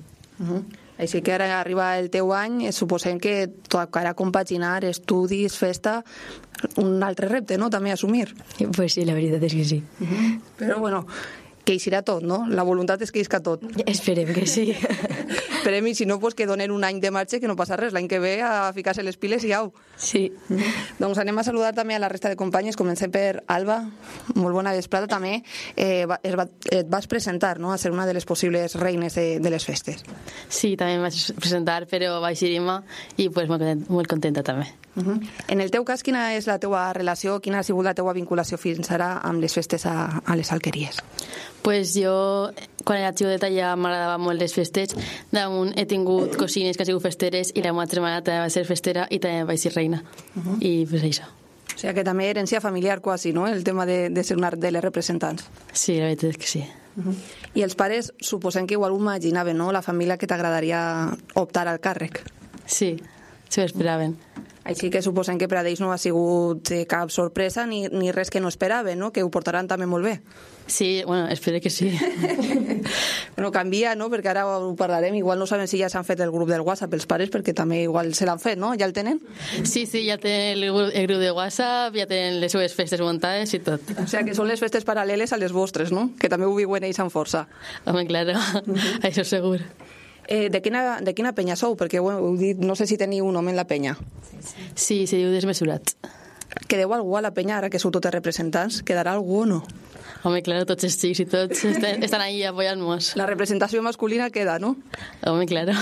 Així que ara arriba el teu any, suposem que tocarà compaginar estudis, festa, un altre repte, no?, també assumir. Pues sí, la veritat és que sí. Però bueno, que eixirà tot, no? La voluntat és que isca tot. Esperem que sí. Esperem, i si no, pues que donen un any de marxa, que no passa res, l'any que ve a ficar-se les piles i au. Sí. Doncs anem a saludar també a la resta de companyes. Comencem per Alba. Molt bona vesprada també. Et vas presentar, no?, a ser una de les possibles reines de les festes. Sí, també em vaig presentar, però vaig dir Imma i pues, molt contenta també. En el teu cas, quina és la teua relació, quina ha sigut la teua vinculació fins ara amb les festes a les alqueries? Pues jo, quan era xicoteta, ja m'agradava molt les festes. Damunt he tingut cosines que han sigut festeres i la meva germana també va ser festera i també vaig ser reina. I pues això. O sigui que també herència familiar quasi, no?, el tema de ser una de les representants. Sí, la veritat és que sí. I els pares suposem que igual ho imaginaven, no?, la família que t'agradaria optar al càrrec. Sí, s'ho esperaven. Així que suposem que per a ells no ha sigut cap sorpresa ni res que no esperaven, no?, que ho portaran també molt bé. Sí, bueno, espero que sí. Bueno, canvia, no?, perquè ara ho parlarem. Igual no sabem si ja s'han fet el grup del WhatsApp els pares, perquè també igual se l'han fet, no? Ja el tenen? Sí, ja tenen el grup de WhatsApp, ja tenen les seves festes muntades i tot. O sigui que són les festes paral·leles a les vostres, no?, que també ho viuen ells amb força. Home, claro, això segur. De quina penya sou? Perquè bueno, heu dit, no sé si teniu un home en la penya. Sí, se diu Desmesurats. Quedeu algú a la penya, ara que sou totes representants? Quedarà algú o no? Home, claro, tots els xics i tots estan ahí apoyant-nos. La representació masculina queda, no? Home, claro.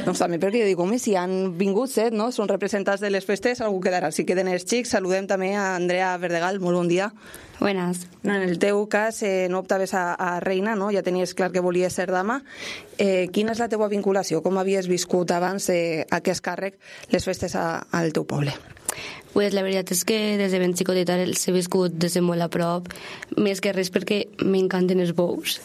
Doncs també perquè jo dic, home, si han vingut 7, no?, són representants de les festes, algú quedarà. Si queden els xics, saludem també a Andrea Verdegal. Molt bon dia. Buenas. En el teu cas no optaves a reina, no? Ja tenies clar que volies ser dama. Quina és la teua vinculació? Com havies viscut abans aquest càrrec, les festes al teu poble? Pues la veritat és que des de ben xicoteta els he viscut des de molt a prop, més que res perquè m'encanten els bous.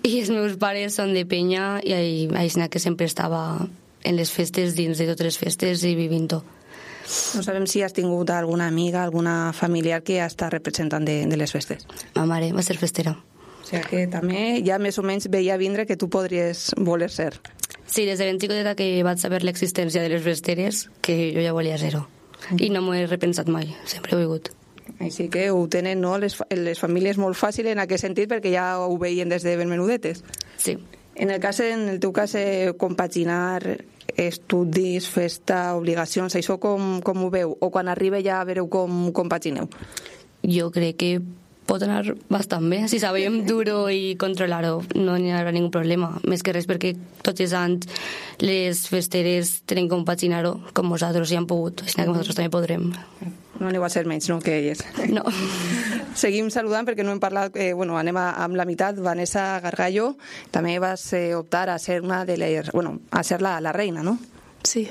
I els meus pares són de penya i així que sempre estava en les festes, dins de totes les festes i vivint-ho. No sabem si has tingut alguna amiga, alguna familiar que ha estat representant de les festes. Ma mare va ser festera. O sigui que també ja més o menys veia vindre que tu podries voler ser. Sí, des de ben xicoteta que vaig saber l'existència de les festeres, que jo ja volia ser-ho. I no m'ho he repensat mai, sempre ho he volgut. Així que ho tenen, no?, les famílies molt fàcil en aquest sentit perquè ja ho veien des de ben menudetes. Sí. En el teu cas, compaginar estudis, festa, obligacions, això com ho veu? O quan arriba ja vereu com compagineu? Jo crec que pot anar bastant bé. Si sabem dur-ho i controlar-ho, no hi haurà ningú problema. Més que res perquè tots els anys les festeres tenen que compaginar-ho com nosaltres hi hem pogut, així que nosaltres també podrem. No aneu a ser menys, no?, que elles. No. Seguim saludant perquè no hem parlat, anem amb la meitat. Vanessa Gargallo, també vas optar a ser una de les, a ser la reina, no? Sí.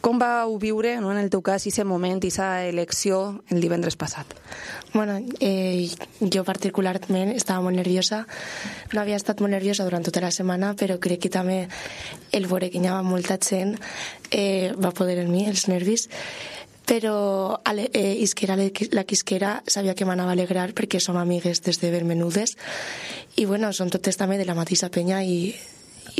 Com vau viure, no, en el teu cas, aquest moment, aquesta elecció el divendres passat? Bueno, jo particularment estava molt nerviosa. No havia estat molt nerviosa durant tota la setmana, però crec que també el veure que hi havia molta gent va poder en mi, els nervis. Però isquera la quisquera sabia que m'anava a alegrar perquè som amigues des de ben menudes i bueno, són totes també de la mateixa penya i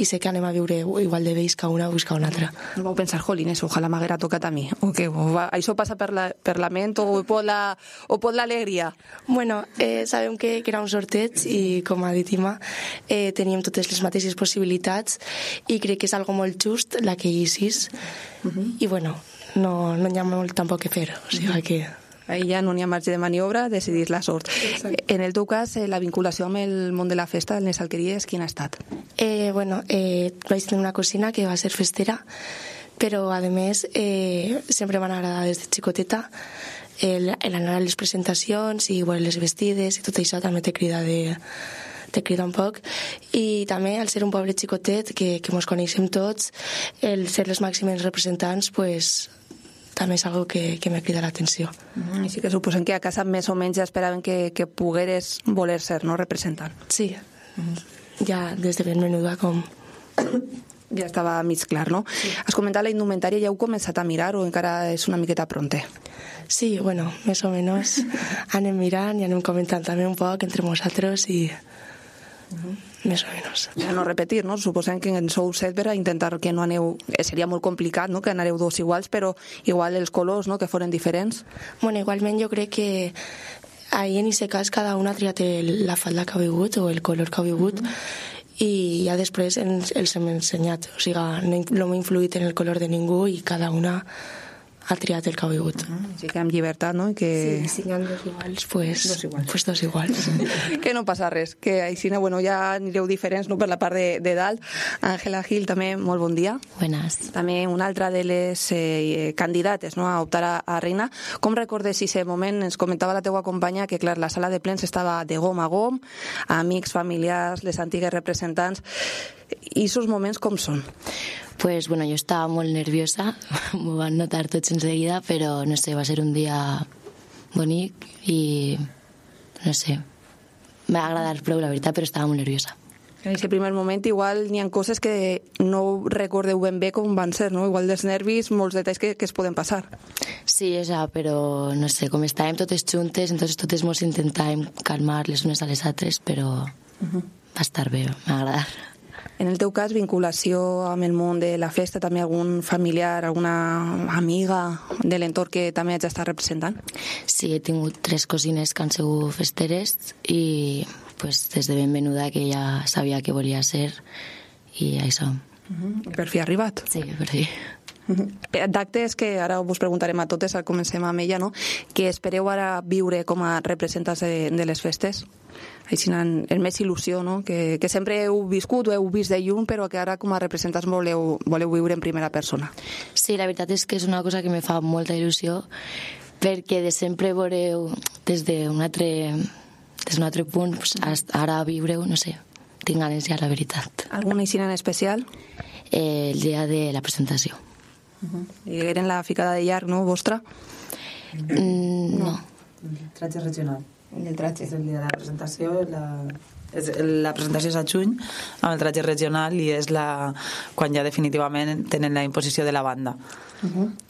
sé que anem a viure igual de vells que una o que una altra. No vau pensar, jolines, ojalà m'haguera tocat a mi, o què? Això passa per la ment o pot l'alegria? Bueno, sabem que era un sorteig i, com ha dit Ima, teníem totes les mateixes possibilitats i crec que és algo molt just la que hi sis i bueno, no hi ha molt tampoc que fer, o sigui que... Ahí ja no n'hi ha marge de maniobra, decidir la sort. En el teu cas, la vinculació amb el món de la festa, les alqueries, quina ha estat? Bueno, vaig tenir una cosina que va ser festera, però a més sempre m'ha agradat des de xicoteta l'anar a les presentacions i veure les vestides i tot això també te crida un poc i també al ser un poble xicotet que mos coneixem tots, el ser les màximes representants pues també és algo que me crida l'atenció. I sí que suposem que a casa més o menys ja esperaven que pogueres voler ser, no?, representant. Sí, ja des de ben menuda com... Ja estava mig clar, no? Sí. Has comentat la indumentària, ja heu començat a mirar o encara és una miqueta pronte? Sí, bueno, més o menys anem mirant i anem comentant també un poc entre nosaltres i... més o menys. Ja no repetir, no? Suposem que en sou 7 per a intentar que no aneu... Seria molt complicat, no?, que anareu dos iguals, però igual els colors, no?, que foren diferents. Bueno, igualment jo crec que ahir en aquest cas cada una ha triat la falda que ha vingut o el color que ha vingut i ja després els hem ensenyat. O sigui, no m'ha influït en el color de ningú i cada una ha triat el que ha vingut. Sí que amb llibertat, no? Que... Sí, si hi ha dos iguals, pues dos iguals. Que no passa res, que així ja anireu diferents, no?, per la part de dalt. Àngela Gil, també, molt bon dia. Buenas. També una altra de les candidates, no?, a optar a reina. Com recordes aquest moment? Ens comentava la teua companya que, clar, la sala de plens estava de gom a gom, amics, familiars, les antigues representants. I aquests moments com són? Pues bueno, yo estaba muy nerviosa, me van a notar tots enseguida, pero no sé, va a ser un día bonito y no sé, me va a agradar prou, la veritat, però estava molt nerviosa. En aquest primer moment igual n'hi ha coses que no recordeu ben bé com van ser, no? Igual dels nervis, molts detalls que es poden passar. Sí, però no sé, com estàvem totes juntes, entonces totes mos intentàvem calmar les unes a les altres, però va estar bé, m'ha agradat. En el teu cas, vinculació amb el món de la festa, també algun familiar, alguna amiga de l'entorn que també hagi estat representant? Sí, he tingut 3 cosines que han sigut festeres i pues, des de ben menuda que ja sabia que volia ser i això. Per fi ha arribat? Sí, per fi. D'actes que ara us preguntarem a totes, ara comencem amb ella, no? Que espereu ara viure com a representants de les festes? Així amb més il·lusió, no? Que sempre heu viscut o heu vist de lluny, però que ara com a representants voleu viure en primera persona. Sí, la veritat és que és una cosa que me fa molta il·lusió, perquè de sempre veureu des d'un altre punt, ara viureu, no sé, tinc ganes ja, la veritat. Alguna aixina en especial? El dia de la presentació. I eren la ficada de llarg, no, vostra? No. El tratge regional. El tratge. És el dia de la presentació, la presentació és a juny amb el tratge regional i és quan ja definitivament tenen la imposició de la banda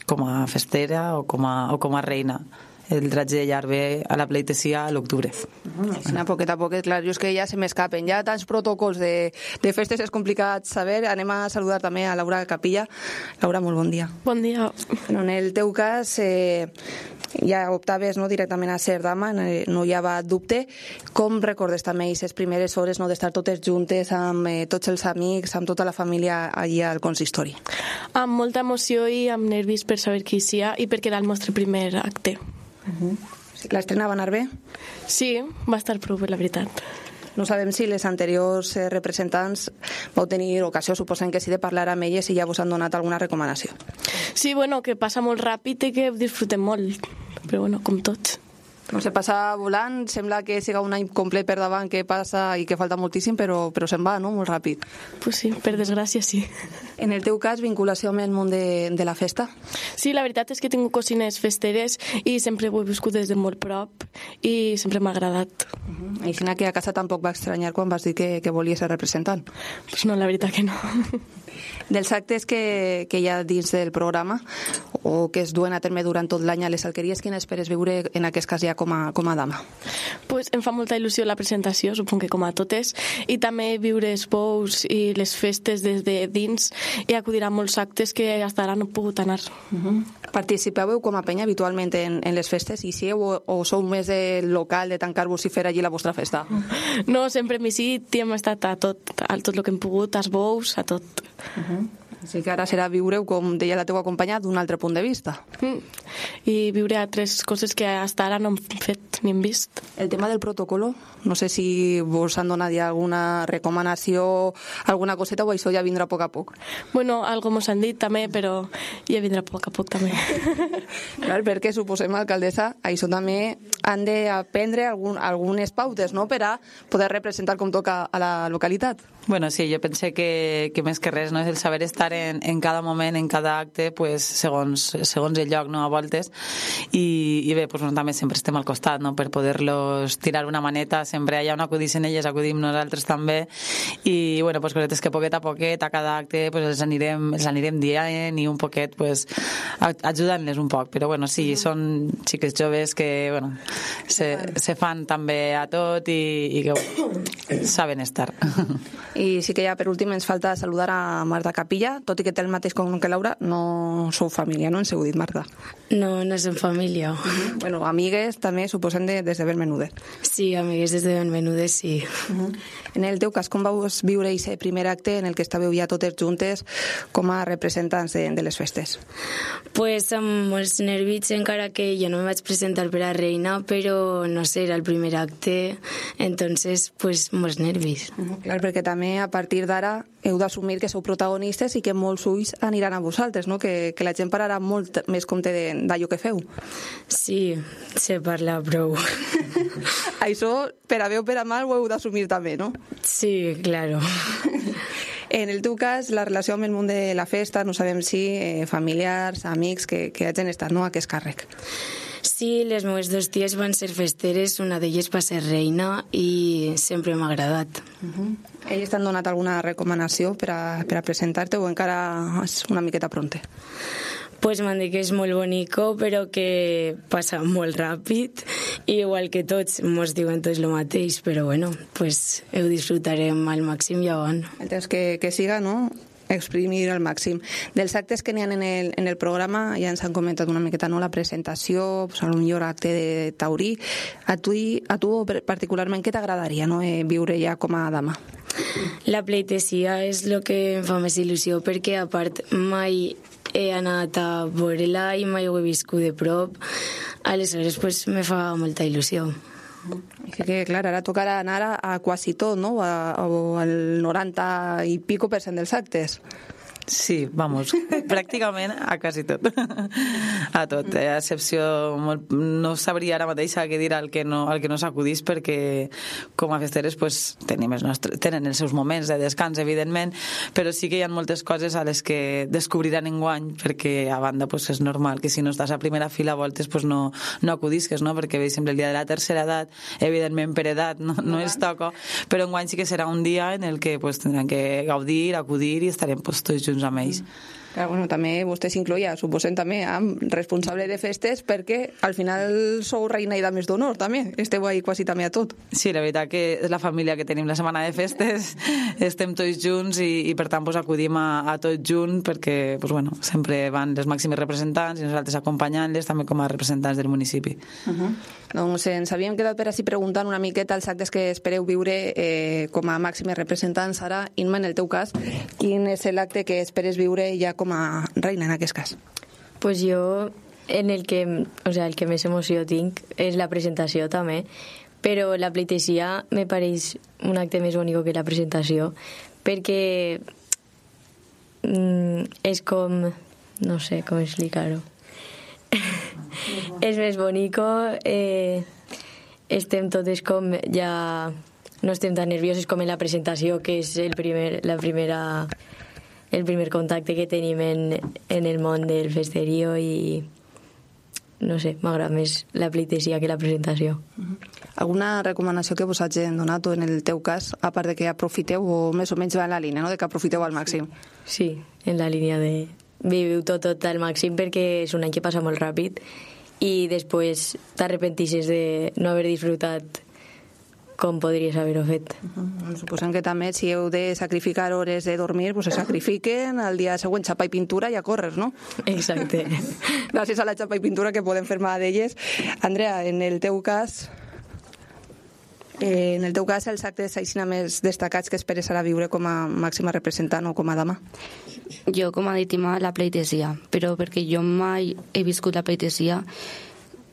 com a festera o com a reina. El tratge de llarg ve a la pleitesia a l'octubre. A poquet, clar, jo és que ja se m'escapen. Ja tants protocols de festes és complicat saber. Anem a saludar també a Laura Capilla. Laura, molt bon dia. Bon dia. En el teu cas, ja optaves directament a ser dama, no hi havia dubte. Com recordes també aquestes primeres hores d'estar totes juntes amb tots els amics, amb tota la família allà al consistori? Amb molta emoció i amb nervis per saber qui hi sia i perquè era el nostre primer acte. L'estrena va anar bé? Sí, va estar prou bé, la veritat. No sabem si les anteriors representants vau tenir ocasió, suposem que sí, de parlar amb elles i ja vos han donat alguna recomanació. Sí, bueno, que passa molt ràpid i que disfrutem molt, però bueno, com tots. No sé, passa volant, sembla que siga un any complet per davant que passa i que falta moltíssim, però se'n va, no?, molt ràpid. Pues sí, per desgràcia, sí. En el teu cas, vinculació amb el món de la festa? Sí, la veritat és que tinc cosines festeres i sempre ho he viscut des de molt prop i sempre m'ha agradat. I Xina, que a casa tampoc va estranyar quan vas dir que volies ser representant? Pues no, la veritat que no. Dels actes que hi ha dins del programa o que es duen a terme durant tot l'any a les alqueries, quina esperes veure en aquest cas ja com a dama? Pues em fa molta il·lusió la presentació, suponc que com a totes, i també viure els bous i les festes des de dins i acudir a molts actes que fins ara no he pogut anar. Participeu com a penya habitualment en les festes i si o sou més del local de tancar-vos i fer allí la vostra festa? No, sempre hem visitat i hem estat a tot el que hem pogut, als bous, a tot. Així que ara serà viure, com deia la teva companya, d'un altre punt de vista. I viure altres coses que fins ara no hem fet ni hem vist. El tema del protocolo, no sé si vos han donat ja alguna recomanació, alguna coseta, o això ja vindrà a poc a poc? Bueno, algo mos han dit també, però ja vindrà a poc a poc també. Clar, perquè suposem, alcaldessa, això també han d'aprendre algunes pautes, no?, per a poder representar com toca a la localitat. Bueno, sí, jo pense que més que res, no?, és el saber estar en cada moment, en cada acte, pues, segons el lloc, no?, a voltes, i bé, pues, també sempre estem al costat, no?, per poder-los tirar una maneta, sempre allà on acudissin elles, acudim nosaltres també, i bueno, pues, cosetes que poquet a cada acte, pues, els anirem dient i un poquet, pues, ajudant-les un poc, però bueno, sí, són xiques joves que, bueno, se fan també a tot i que saben estar. I sí que ja per últim ens falta saludar a Marta Capilla, tot i que té el mateix com que Laura, no sou família, no ens heu dit, Marta? No, no som família. Bueno, amigues també suposem des de Benmenudet. Sí, amigues des de Benmenudet, sí. En el teu cas, com vau viure aquest primer acte en el que estàveu ja totes juntes com a representants de les festes? Pues amb molts nervis, encara que jo no me vaig presentar per a reina, però no sé, era el primer acte, entonces, pues, molts nervis. Clar, perquè també a partir d'ara heu d'assumir que sou protagonistes i que molts ulls aniran a vosaltres, no? Que la gent pararà molt més compte d'allò que feu. Sí, se parla prou. Això, per a bé o per a mal, ho heu d'assumir també, no? Sí, claro. En el teu cas, la relació amb el món de la festa, no sabem si familiars, amics, que hagin estat, no?, a aquest càrrec. Sí, les meves dos ties van ser festeres, una d'elles va ser reina i sempre m'ha agradat. Elles t'han donat alguna recomanació per a presentar-te o encara és una miqueta pronte? Pues m'han dit que és molt bonico, però que passa molt ràpid, i igual que tots, mos diuen tots el mateix, però bueno, pues ho disfrutarem al màxim ja van. El temps que siga, no?, exprimir al màxim. Dels actes que n'hi ha en el programa, ja ens han comentat una miqueta, no?, la presentació, pues, a lo millor acte de taurí. A tu particularment, què t'agradaria, no?, viure ja com a dama? La pleitesia és el que em fa més il·lusió, perquè a part mai he anat a veure-la i mai ho he viscut de prop, aleshores pues, me fa molta il·lusió. Que clar, ara tocarà anar a quasi tot, no?, o al 90 i pico % dels actes. Sí, vamos, pràcticament a quasi tot. A tot, a excepció... No sabria ara mateix què dir al que no s'acudís, perquè com a festeres pues, tenen els seus moments de descans, evidentment, però sí que hi ha moltes coses a les que descobriran enguany, perquè a banda pues, és normal que si no estàs a primera fila a voltes pues, no acudisques, no? Perquè veig sempre el dia de la tercera edat, evidentment per edat no es toca, però enguany sí que serà un dia en el que pues, tindran que gaudir, acudir i estarem pues, tots junts amb ells. Clar, bueno, també vostè s'incloïa, suposem també, amb responsable de festes, perquè al final sou reina i dames d'honor, també. Esteu ahí quasi també a tot. Sí, la veritat que és la família que tenim la setmana de festes, estem tots junts i per tant pues, acudim a tot junt, perquè pues, bueno, sempre van les màximes representants i nosaltres acompanyant-les també com a representants del municipi. Doncs ens havíem quedat per així preguntant una miqueta els actes que espereu viure com a màximes representants. Ara, Inma, en el teu cas, quin és l'acte que esperes viure ja com a reina en aquest cas? Pues jo en el que més emoció tinc és la presentació també, però la pleitesia me pareix un acte més bonic que la presentació, perquè és com... no sé com explicar-ho. És més bonic, estem totes com ja... no estem tan nervioses com en la presentació, que és el primer contacte que tenim en el món del festerío i no sé, m'agrada més la pleitesia que la presentació. Alguna recomanació que vos hagin donat o en el teu cas, a part de que aprofiteu o més o menys va en la línia, no? De que aprofiteu al màxim? Sí, en la línia de viviu tot al màxim perquè és un any que passa molt ràpid i després t'arrepentisses de no haver disfrutat com podries haver-ho fet. Suposem que també si heu de sacrificar hores de dormir, pues se sacrifiquen, al dia següent xapa i pintura i a córrer, no? Exacte. Gràcies a la xapa i pintura que podem fer mà d'elles. Andrea, en el teu cas, els actes així més destacats que esperes ara viure com a màxima representant o com a dama? Jo, com a víctima, la pleitesia, però perquè jo mai he viscut la pleitesia,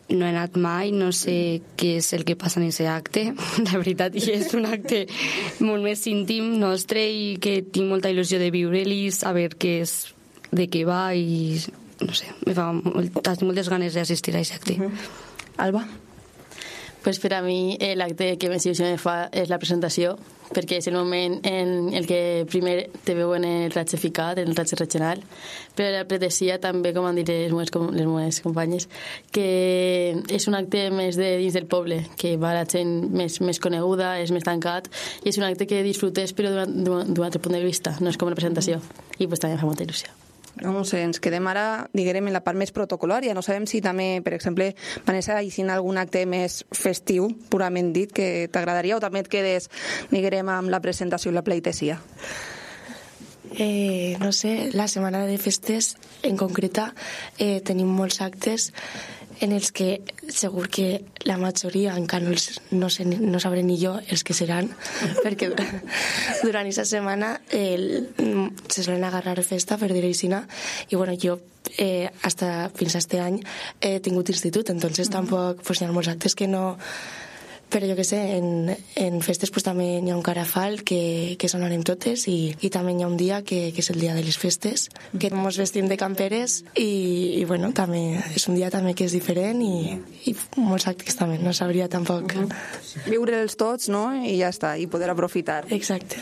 no he anat mai, no sé què és el que passa en aquest acte. La veritat, i és un acte molt més íntim nostre i que tinc molta il·lusió de viure-li, saber què és, de què va i no sé, tinc moltes ganes d'assistir a aquest acte. Alba? Pues per a mi l'acte que més il·lusió me fa és la presentació, perquè és el moment en el que primer te veuen el ratge ficat, el ratge regional, però la pleitesia també, com han dit les meves companyes, que és un acte més de dins del poble, que va la gent més coneguda, és més tancat, i és un acte que disfrutes però d'un altre punt de vista, no és com la presentació, i pues també fa molta il·lusió. No sé, ens quedem ara, diguem, en la part més protocolària. No sabem si també, per exemple, Vanessa, hi sin algun acte més festiu, purament dit, que t'agradaria, o també et quedes, diguem, amb la presentació i la pleitesia? No sé, la setmana de festes, en concreta, tenim molts actes en els que segur que la majoria encara no sabré ni jo els que seran, perquè durant aquesta setmana se solen agarrar festa, per dir-ho així, i bueno, jo fins a este any he tingut institut, entonces tampoc hi ha molts actes que no... Però jo què sé, en festes pues, també hi ha un carafal que sonarem totes i també hi ha un dia que és el dia de les festes, que ens vestim de camperes i bueno, també és un dia també que és diferent i molts actes també, no sabria tampoc. Viure'ls tots, no? I ja està, i poder aprofitar. Exacte.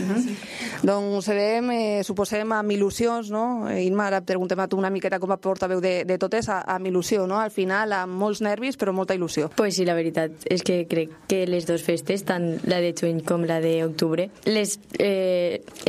Doncs sabem, suposem, amb il·lusions, no? Imma, ara preguntem a tu una miqueta com a portaveu de totes, amb il·lusió, no? Al final, amb molts nervis, però molta il·lusió. Pues sí, la veritat és que crec que les dues festes, tant la de juny com la d'octubre, les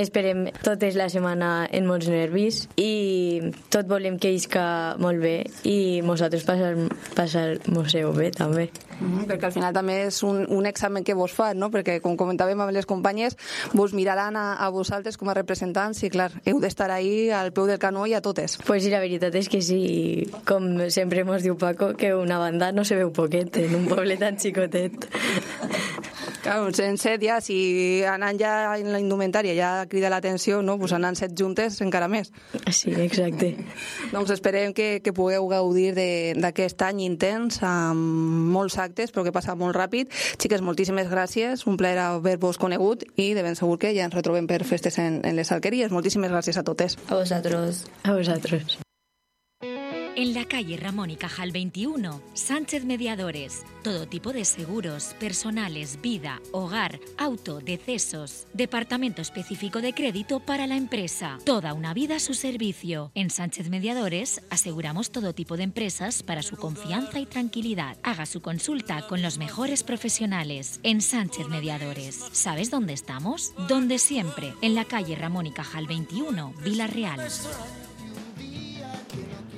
esperem totes la setmana en molts nervis i tot volem que isca molt bé i nosaltres passar-mos-ho bé també. Perquè al final també és un examen que vos fan, no? Perquè com comentàvem amb les companyes, vos miraran a vosaltres com a representants i clar, heu d'estar ahí al peu del canó i a totes. Pues sí, la veritat és que sí, com sempre mos diu Paco, que una banda no se veu poquet en un poble tan xicotet. Clar, en set ja, si anant ja en la indumentària ja crida l'atenció, no? Pues anant set juntes encara més. Sí, exacte. Doncs esperem que pugueu gaudir d'aquest any intens amb molts actes, però que passa molt ràpid. Xiques, moltíssimes gràcies, un plaer haver-vos conegut i de ben segur que ja ens retrobem per festes en les alqueries. Moltíssimes gràcies a totes. A vosaltres. A vosaltres. En la calle Ramón y Cajal 21, Sánchez Mediadores. Todo tipo de seguros, personales, vida, hogar, auto, decesos. Departamento específico de crédito para la empresa. Toda una vida a su servicio. En Sánchez Mediadores aseguramos todo tipo de empresas para su confianza y tranquilidad. Haga su consulta con los mejores profesionales. En Sánchez Mediadores. ¿Sabes dónde estamos? Donde siempre. En la calle Ramón y Cajal 21, Vila-real.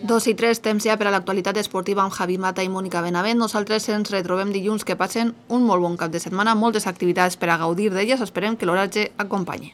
2 i 3, temps ja per a l'actualitat esportiva amb Javi Mata i Mònica Benavent. Nosaltres ens retrobem dilluns. Que passen un molt bon cap de setmana, moltes activitats per a gaudir d'elles. Esperem que l'oratge acompanyi.